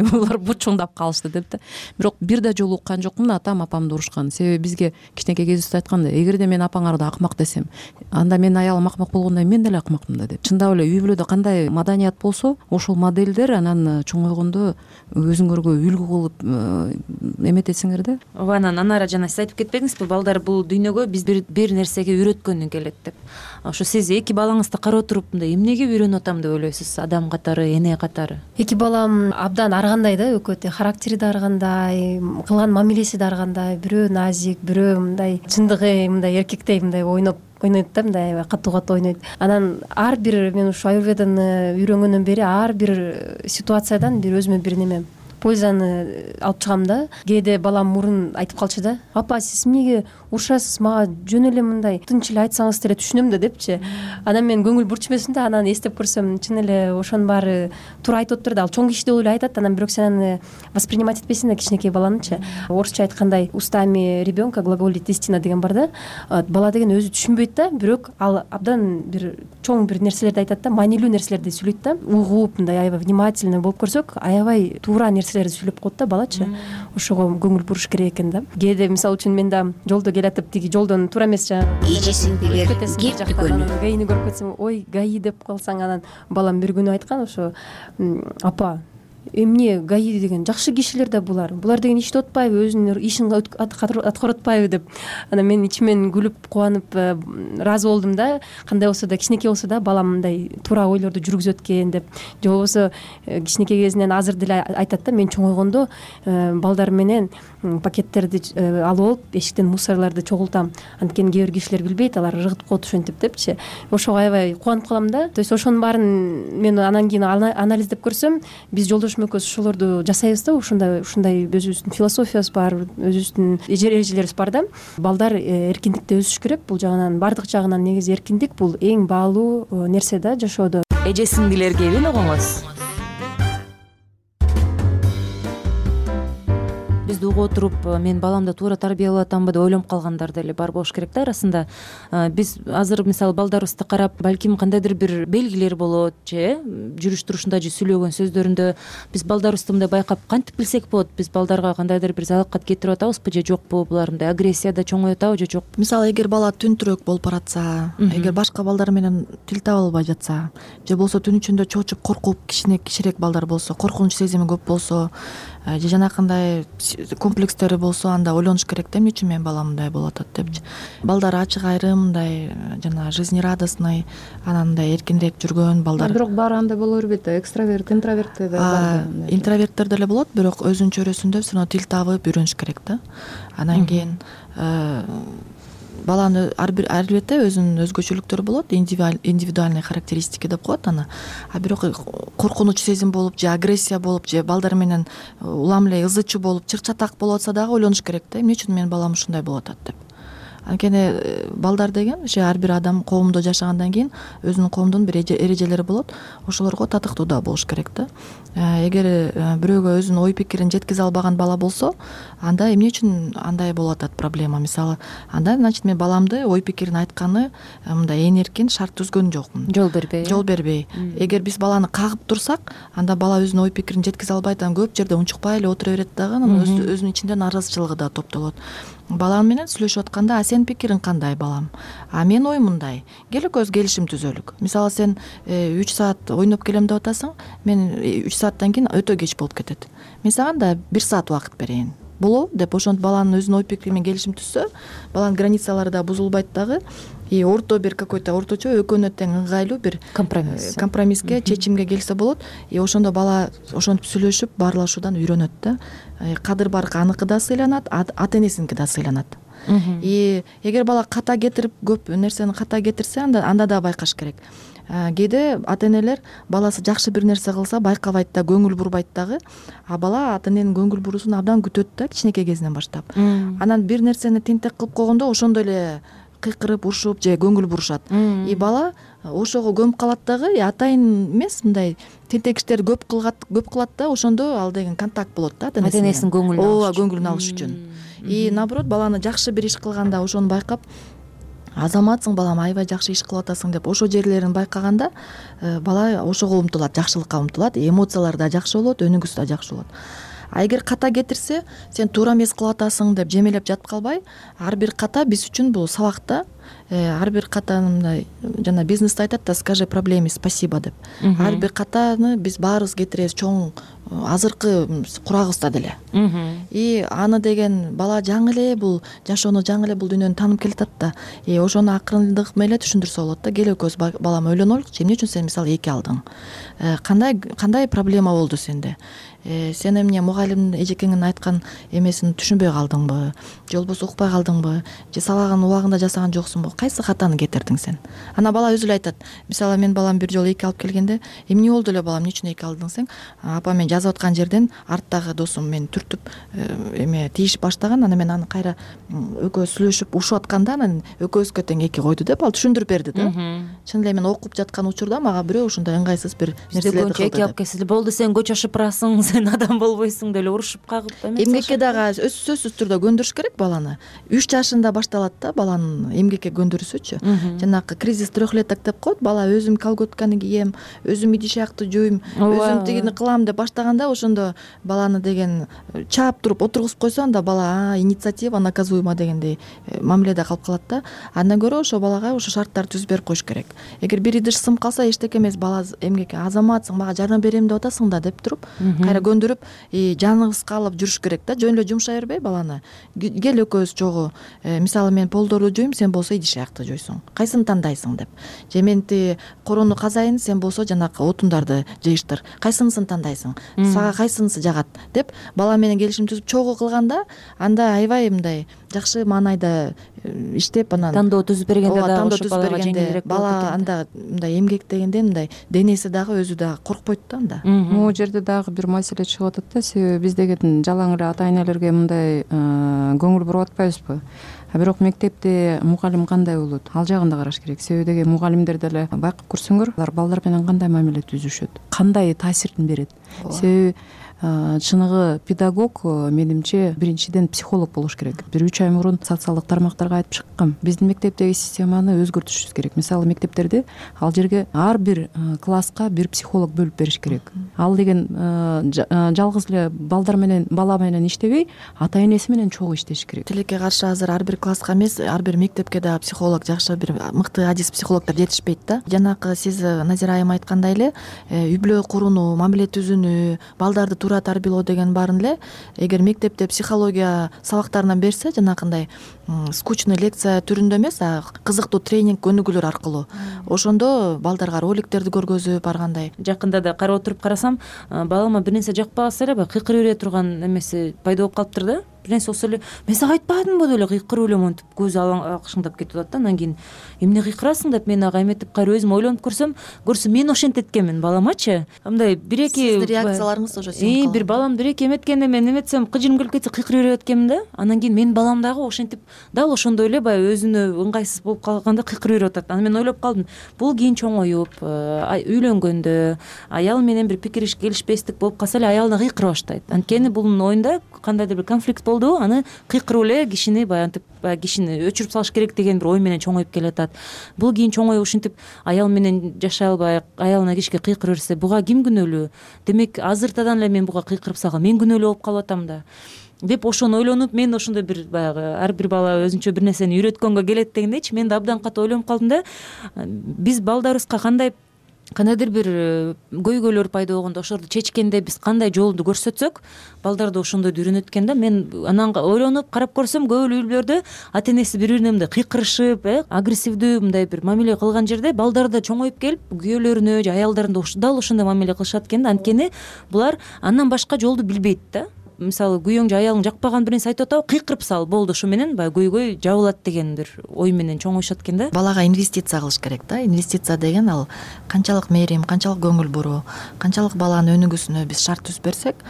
C: булар бучуңдап калышты деп да. Бирок бир да жолу уккан жокмун атам апамды урушкан. Себеби бизге кичинекей кезибизде айтканда, эгерде мен апаңарды акмак десем, анда менин аялым акмак болгондой мен деле акмакмын да деп. Чындап эле үй бүлөдө кандай маданият болсо, ошол модельдер анан чоңойгондо өзүңөргө үлгү кылып эметесиңер да.
R: Ооба, анан анара жана сиз айтып кетпедиңизби, балдар бул дүйнөгө биз бир нерсеге үйрөткөнү келет деп. Ошо сиз эки балаңызды карап туруп мындай эмнеге үйрөнүп атам деп ойлойсуз, адам катары, эне катары?
E: Эки балам абдан ар кандай да, экөө характери да ар кандай, кылган мамилеси да ар кандай. Бирөө назик, бирөө мындай чындыгы мындай эркектей мындай ойнойт да, мындай катуу ойнойт. Анан ар бир мен ушу аюрведаны үйрөнгөндөн бери ар бир ситуациядан бир өзүмө бир неме пользаны алып чыгам да. Кээде балам мурун айтып калчу да, апа сиз эмнеге урушасыз, мага жөн эле мындай тынч эле айтсаңыз деле түшүнөм да депчи. Анан мен көңүл бурчумесин да, анан эстеп көрсөм чын эле ошонун баары туура айтып атыптыр да. Ал чоң киши деп эле айтат, анан бирок сен аны воспринимать этпейсиң да, кичинекей баланычы. Орусча айткандай устами ребенка глаголит истина деген бар да. Бала деген өзү түшүнбөйт да, бирок ал абдан бир чоң бир нерселерди айтат да, маанилүү нерселерди сүйлөйт да. Угуп мындай аябай внимательный болуп көрсөк, аябай туура нерселерди сүйлөп коет да балачы. Ошого көңүл буруш керек экен да. Кээде мисалы үчүн мен да жолдо келатып, тиги жолдон туура эмес жанагы
T: эже сиңдилер кеп дүкөнү.
E: Гаини көрүп кетсең, ой гаи деп калсаң, анан балам бир күнү айткан, ошо апа эмне гаи деген жакшы кишилер да булар деген иштеп атпайбы, өзүнүн ишин аткарып атпайбы деп. Анан мен ичимен күлүп кубанып ыраазы болдум да. Кандай болсо да, кичинекей болсо да балам мындай туура ойлорду жүргүзөт экен деп. Же болбосо кичинекей кезинен азыр деле айтат да, мен чоңойгондо балдар менен пакеттерди алып алып эшиктен мусорлорду чогултам. Анткени кээ бир кишилер билбейт, алар ыргытып коет ошентип депчи. Ошого аябай кубанып калам да. То есть ошонун баарын мен анан кийин анализдеп көрсөм, биз жолдошум экөөбүз ошолорду жасайбыз да. Ушундай өзүбүздүн философиябыз бар, өзүбүздүн эрежелерибиз бар да. Балдар эркиндикте өсүш керек. Бул жагынан, бардык жагынан негизи эркиндик бул эң баалуу нерсе да жашоодо.
R: эже сиңдилерге белогоңуз. Бизди угуп отуруп мен баламды туура тарбиялап атамбы деп ойлонуп калгандар деле бар болуш керек да. Арасында биз азыр мисалы балдарыбызды карап балким кандайдыр бир белгилер болот же жүрүш турушунда же сүйлөгөн сөздөрүндө биз балдарыбызды мындай байкап кантип билсек болот? Биз балдарга кандайдыр бир залакат кетирип атабызбы же жокпу? Булар мындай агрессияда чоңоюп атабы же жокпу?
U: Мисалы эгер бала түнтүрөөк болуп баратса, эгер башка балдар менен тил таба албай жатса же болбосо түн ичинде чоочуп коркуп кичирээк балдар болсо, коркунуч сезими көп болсо же жанакындай комплекстери болсо, анда ойлонуш керек да, эмне үчүн менин балам мындай болуп атат депчи. Балдар ачык айрым, мындай жана жизнерадостный, анан мындай эркинирээк жүргөн балдар.
C: Бирок баары андай боло бербейт да, экстраверт, интроверт да бар.
U: Интроверттер деле болот, бирок өзүнүн чөйрөсүндө все равно тил табып үйрөнүш керек да. Анан кийин баланын албетте өзүнүн өзгөчөлүктөрү болот, индивидуальный характеристики деп коет аны. Бирок коркунуч сезим болуп же агрессия болуп же балдар менен улам эле ызы чуу болуп чыр-чатак болуп атса дагы ойлонуш керек да, эмне үчүн менин балам ушундай болуп атат деп. Анткени балдар деген же ар бир адам коомдо жашагандан кийин өзүнүн коомдун бир эрежелери болот, ошолорго татыктуу да болуш керек да. Эгер бирөөгө өзүнүн ой пикирин жеткизе албаган бала болсо, анда эмне үчүн андай болуп атат проблема? Мисалы, анда значит мен баламды ой пикирин айтканы мындай эркин шарт түзгөн жокмун. Жол бербей. Эгер биз баланы кагып турсак, анда бала өзүнүн ой пикирин жеткизе албайт, анан көп жерде унчукпай эле отура берет дагы, анан өзүнүн ичинде нааразычылыгы да топтолот. Балам менен сүйлөшүп атканда, сенин пикириң кандай балам? Менин оюм мындай. Кел экөөбүз келишим түзөлүк. Мисалы, сен 3 саат ойноп келем деп атасың, мен 3 сааттан кийин өтө кеч болуп кетет. Мен сага да 1 саат убакыт берейин. Болобу деп ошентип баланын өзүнүн ой пикири менен келишим түзсө, баланын границалары да бузулбайт дагы. Орто бир какой-то орточо экөөнө тең ыңгайлуу бир компромисске, чечимге келсе болот. Ошондо бала ошентип сүйлөшүп, баарлашуудан үйрөнөт да. Кадыр барк аныкы да сыйланат, ата-энесиники да сыйланат. Эгер бала ката кетирип, көп нерсени ката кетирсе, анда да байкаш керек. Кээде ата-энелер баласы жакшы бир нерсе кылса байкабайт да, көңүл бурбайт дагы. Бала ата-эненин көңүл буруусун абдан күтөт да, кичинекей кезинен баштап. Анан бир нерсени тентек кылып койгондо ошондой эле кыйкырып, урушуп же көңүл бурушат. Бала ошого көмүп калат дагы, атайын эмес, мындай тентек иштерди көп кылат да, ошондо ал деген контакт болот да
R: ата-энесинин
U: көңүлүн алыш үчүн. Наоборот, баланы жакшы бир иш кылганда ошону байкап, азаматсың балам, аябай жакшы иш кылып атасың деп ошол жерлерин байкаганда, бала ошого умтулат, жакшылыкка умтулат, эмоциялары да жакшы болот, өнүгүүсү да жакшы болот. Эгер ката кетирсе, сен туура эмес кылып атасың деп жемелеп жатып калбай, ар бир ката биз үчүн бул сабак да. Ар бир катаны мындай жана бизнесте айтат да, скажи проблеме спасибо деп. Ар бир катаны биз баарыбыз кетиребиз, чоң азыркы курагыбызда деле. Аны деген бала жаңы эле бул жашоону, жаңы эле бул дүйнөнү таанып келатат да. Ошону акырындык менен түшүндүрсө болот да. Кел экөөбүз балам ойлонолучу, эмне үчүн сен мисалы 2 алдың? Кандай проблема болду сенде? Сен эмне мугалим эжекеңин айткан эмесин түшүнбөй калдыңбы? Же болбосо укпай калдыңбы? Же сабагын убагында жасаган жоксуңбу? Кайсы катаны кетирдиң сен? Ана бала өзү эле айтат. Мисалы, мен балам бир жолу 2 алып келгенде, эмне болду эле балам, эмне үчүн 2 алдың сен? Апа, мен жазып аткан жерден арттагы досум мени түртүп тийишип баштаган, анан мен аны кайра экөөбүз сүйлөшүп урушуп атканда, анан экөөбүзгө тең 2 койду деп ал түшүндүрүп берди да. Чын эле мен окуп жаткан учурда мага бирөө ушундай ыңгайсыз бир нерселерди кылды.
R: 2 алып келсе болду, сен көч ашып барасың, сен адам болбойсуң деп эле урушуп кагып эмес.
U: Эмгекке дагы сөзсүз түрдө көндүрүш керек баланы. 3 жашында башталат да баланын эмгекке көндүрүүсүчү. Жанагы кризис трехлеток деп коет, бала өзүм колготканы кийем, өзүм идишакты жууйм, өзүм тигини кылам деп баштаганда, ошондо баланы деген чаап туруп отургузуп койсо, анда бала инициатива наказуема дегендей мамиледе калып калат да. Андан көрө ошо балага ошо шарттарды түзүп берип коюш керек. Эгер бир идиш сынып калса, эчтеке эмес, бала эмгекке азаматсың, мага жардам берем деп атасың да деп туруп, кайра көндүрүп, жаныбызга алып жүрүш керек да. Жөн эле жумшай бербей баланы. Кел экөөбүз чогуу, мисалы мен полдорду жуйм, сен болсо идишакты жуйсуң. Кайсыны тандайсың деп. Же мен корону казайын, сен болсо жанагы отундарды жыйыштыр. Кайсынысын тандайсың? сага кайсынысы жагат деп бала менен келишим түзүп чогуу кылганда анда аябай мындай жакшы маанайда иштеп анан
R: тандоо түзүп бергенде
U: ооба
R: да
U: тандоо
R: ошо
U: түзүп
R: балага
U: бергенде
R: жеңилирээк
U: бала анда мындай эмгектегенде мындай денеси дагы өзү дагы коркпойт да анда.
C: Могу жерде дагы бир маселе чыгып атат да, себеби биз деген жалаң эле ата энелерге мындай көңүл буруп атпайбызбы, а бирок мектепте мугалим кандай болот, ал жагын да караш керек. Себеби деген мугалимдер деле байкап көрсөңөр, алар балдар менен кандай мамиле түзүшөт, кандай таасирин берет. Себеби чыныгы педагог менимче биринчиден психолог болуш керек. Бир 3 ай мурун социалдык тармактарга айтып чыккам. Биздин мектептеги системаны өзгөртүшүбүз керек. Мисалы мектептерде ал жерге ар бир класска бир психолог бөлүп бериш керек. Ал деген жалгыз эле балдар менен бала менен иштебей, ата энеси менен чогуу иштеш керек.
U: Тилекке каршы азыр ар бир класска эмес, ар бир мектепке дагы психолог, жакшы бир мыкты адис психологдор жетишпейт да. Жанакы сиз Назира айым айткандай эле үй бүлө курууну, мамиле түзүүнү, балдарды туура тарбиялоо деген баарын эле эгер мектепте психология сабактарынан берсе, жанакындай скучный лекция түрүндө эмес, кызыктуу тренинг өнүгүүлөр аркылуу, ошондо балдарга роликтерди көргөзүп баргандай.
R: Жакында да карап отуруп карасам, балама бир нерсе жакпаса эле кыйкырып бере турган эмеси пайда болуп калыптыр да. Бир нерсе болсо эле мен сага айтпадымбы деп эле кыйкырып эле монтип көзү акшыңдап кетип атат да. Анан кийин эмне кыйкырасың деп мен ага эметип кайра өзүм ойлонуп көрсөм мен ошентет экенмин баламачы. Мындай бир-эки
U: сиздин реакцияларыңыз ошо сиңип
R: бир балам бир-эки эметкенде мен эметсем кыжырым келип кетсе кыйкырып берип эткенмин да. Анан кийин менин балам дагы ошентип дал ошондой эле баягы өзүнө ыңгайсыз болуп калганда кыйкырып берип атат. Анан мен ойлоп калдым, бул кийин чоңоюп үйлөнгөндө аял менен бир пикир келишпестик болуп калса эле аялына кыйкыра баштайт. Анткени бунун оюнда кандайдыр бир конфликт болду, аны кыйкыруу эле кишини баягы кишини өчүрүп салыш керек деген бир ой менен чоңоюп келатат. Бул кийин чоңоюп ушинтип аял менен жашай албай аялына кишке кыйкырып берсе, буга ким күнөөлүү? Демек азыртадан эле мен буга кыйкырып салгам, мен күнөөлүү болуп калып атам да деп ошону ойлонуп, мен ошондой бир баягы ар бир бала өзүнчө бир нерсени үйрөткөнгө келет дегендейчи, мен да абдан катуу ойлонуп калдым да. Биз балдарыбызга кандайдыр бир көйгөйлөр пайда болгондо ошолорду чечкенде биз кандай жолду көрсөтсөк, балдар да ошондойду үйрөнөт экен да. Мен анан ойлонуп карап көрсөм, көп эле үй бүлөлөрдө ата энеси бири бирине мындай кыйкырышып, агрессивдүү мындай бир мамиле кылган жерде балдар да чоңоюп келип, күйөөлөрүнө же аялдарына дал ошондой мамиле кылышат экен да. Анткени булар андан башка жолду билбейт да. Мисалы күйөөң же аялың жакпаган бир нерсе айтып атабы, кыйкырып сал, болду, ошо менен баягы көйгөй жабылат деген бир ой менен чоңоюшат экен да.
U: Балага инвестиция кылыш керек да. Инвестиция деген ал канчалык мээрим, канчалык көңүл буруу, канчалык баланын өнүгүүсүнө биз шарт түзүп берсек,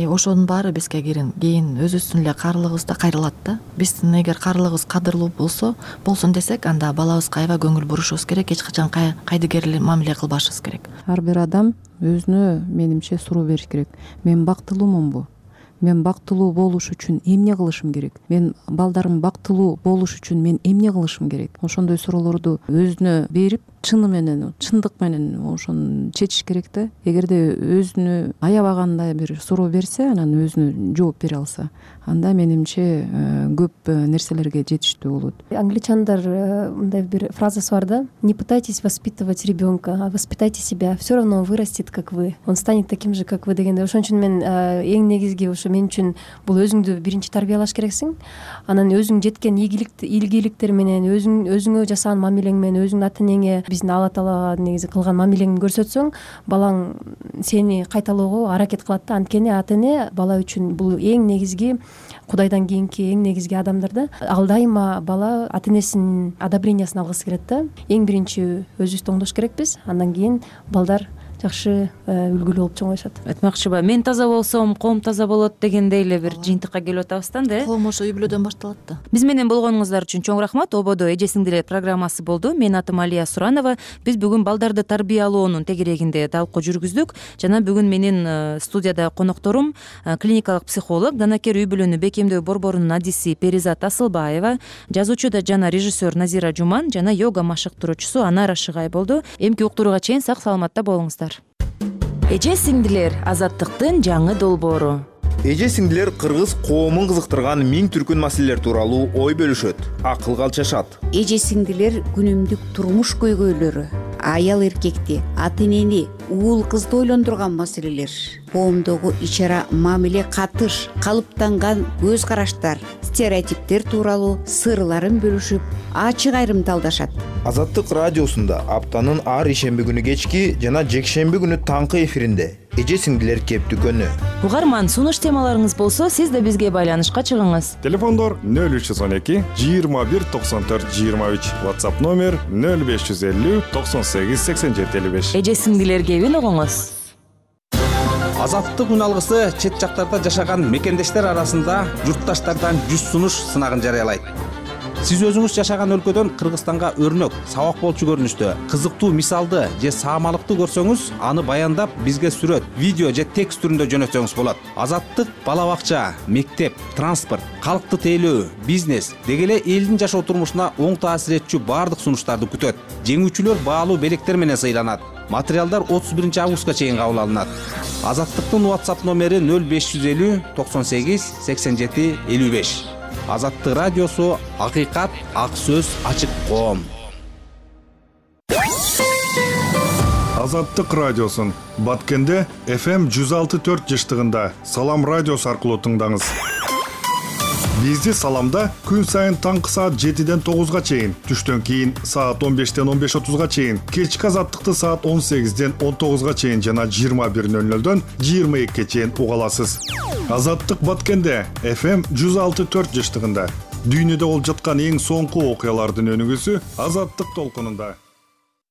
U: ошонун баары бизге кийин өзүбүздүн эле каарылыгыбызда кайрылат да. Биздин эгер каарылыгыбыз кадырлуу болсун десек, анда балабызга аябай көңүл бурушубуз керек, эч качан кайдыгер мамиле кылбашыбыз керек.
C: Ар бир адам өзүнө менимче суроо бериш керек. Мен бактылуумунбу? Мен бактылуу болуш үчүн эмне кылышым керек? Мен балдарым бактылуу болуш үчүн мен эмне кылышым керек? Ошондой суроолорду өзүнө берип, чыны менен, чындык менен ошону чечиш керек да. Эгерде өзүнө аябагандай бир суроо берсе, анан өзүнө жооп бере алса, анда менимче көп нерселерге жетиштүү болот.
E: Англичандар мындай бир фразасы бар да: не пытайтесь воспитывать ребенка, а воспитайте себя, все равно он вырастет как вы, он станет таким же как вы дегенде. Ошон үчүн мен эң негизги ошо мен үчүн бул өзүңдү биринчи тарбиялаш керексиң. Анан өзүң жеткен ийгиликтер менен, өзүңө жасаган мамилең менен, өзүңдүн ата энеңе, биздин Алла Таала негизи кылган мамилеңди көрсөтсөң, балаң сени кайталоого аракет кылат да. Анткени ата эне бала үчүн бул эң негизги, Кудайдан кийинки эң негизги адамдар да. Ал дайыма бала ата энесинин одобрениясын алгысы келет да. Эң биринчи өзүбүздү оңдош керекпиз, андан кийин балдар жакшы үлгүлүү болуп чоңоюшат.
R: Айтмакчыбы, мен таза болсом, коом таза болот дегендей эле бир жыйынтыкка келип атабыз да энди.
U: Коом ошо үй бүлөдөн башталат да.
R: Биз менен болгонуңуздар үчүн чоң рахмат. Ободо эже сиңдилер программасы болду. Менин атым Алия Суранова. Биз бүгүн балдарды тарбиялоонун тегерегинде талкуу жүргүздүк. Жана бүгүн менин студияда конокторум клиникалык психолог, данакер үй бүлөнү бекемдөө борборунун адиси Перизат Асылбаева, жазуучу жана режиссер Назира Жуман жана йога машыктыруучусу Анара Шыгай болду. Эмки уктурууга чейин сак саламатта болуңуздар. Эже сиңдилер азаттыктын жаңы долбоору.
S: Эже сиңдилер кыргыз коомун кызыктырган миң түркүн маселелер тууралуу ой бөлүшөт, акылга алчашат.
T: Эже сиңдилер күнүмдүк турмуш көйгөйлөрү, аял эркекти, ата энени, уул кызды ойлондурган маселелер, коомдогу ич ара мамиле катыш, калыптанган көз караштар, стереотиптер тууралуу сырларын бөлүшүп ачык айрымталдашат.
S: Азаттык радиосунда аптанын ар ишемби күнү кечки жана жекшемби күнү таңкы эфиринде эже сиңдилер кеп дүкөнү.
R: Угарман, сунуш темаларыңыз болсо, сиз да бизге байланышка чыгыңыз.
L: Телефондор 0312 21 94 23, WhatsApp номер 0550 98 87 55.
R: Эже сиңдилер кебин угуңуз.
F: Азаттык үн алгысы чет жактарда жашаган мекендештер арасында журтташтардан 100 сунуш сынагын жарыялайт. Сиз өзүңүз жашаган өлкөдөн Кыргызстанга өрнөк, сабак болчу көрүнүштө, кызыктуу мисалды же саамалыкты көрсөңүз, аны баяндап бизге сүрөт, видео же текст түрүндө жөнөтсөңүз болот. Азаттык бала бакча, мектеп, транспорт, калкты тейлөө, бизнес деги эле элдин жашоо турмушуна оң таасир этчү баардык сунуштарды күтөт. Жеңүүчүлөр баалуу белектер менен сыйланат. Материалдар 31 августка чейин кабыл алынат. Азаттыктын WhatsApp номери 0550 98 87 55. Азаттык радиосу акыйкат, ак сөз, ачык коом.
L: Азаттык радиосун Баткенде FM 106.4 жыштыгында Салам радиосу аркылуу тыңдаңыз. Бизди Саламда күн сайын таңкы саат 7-ден 9-га чейин, түштөн кийин саат 15-ден 15:30-га чейин, кечки Азаттыкты саат 18-ден 19-га чейин жана 21:00-дөн 22-ге чейин уга аласыз. Азаттык Баткенде FM 106.4 жыштыгында дүйнөдө болуп жаткан эң соңку окуялардын өнүгүүсү Азаттык толкунунда.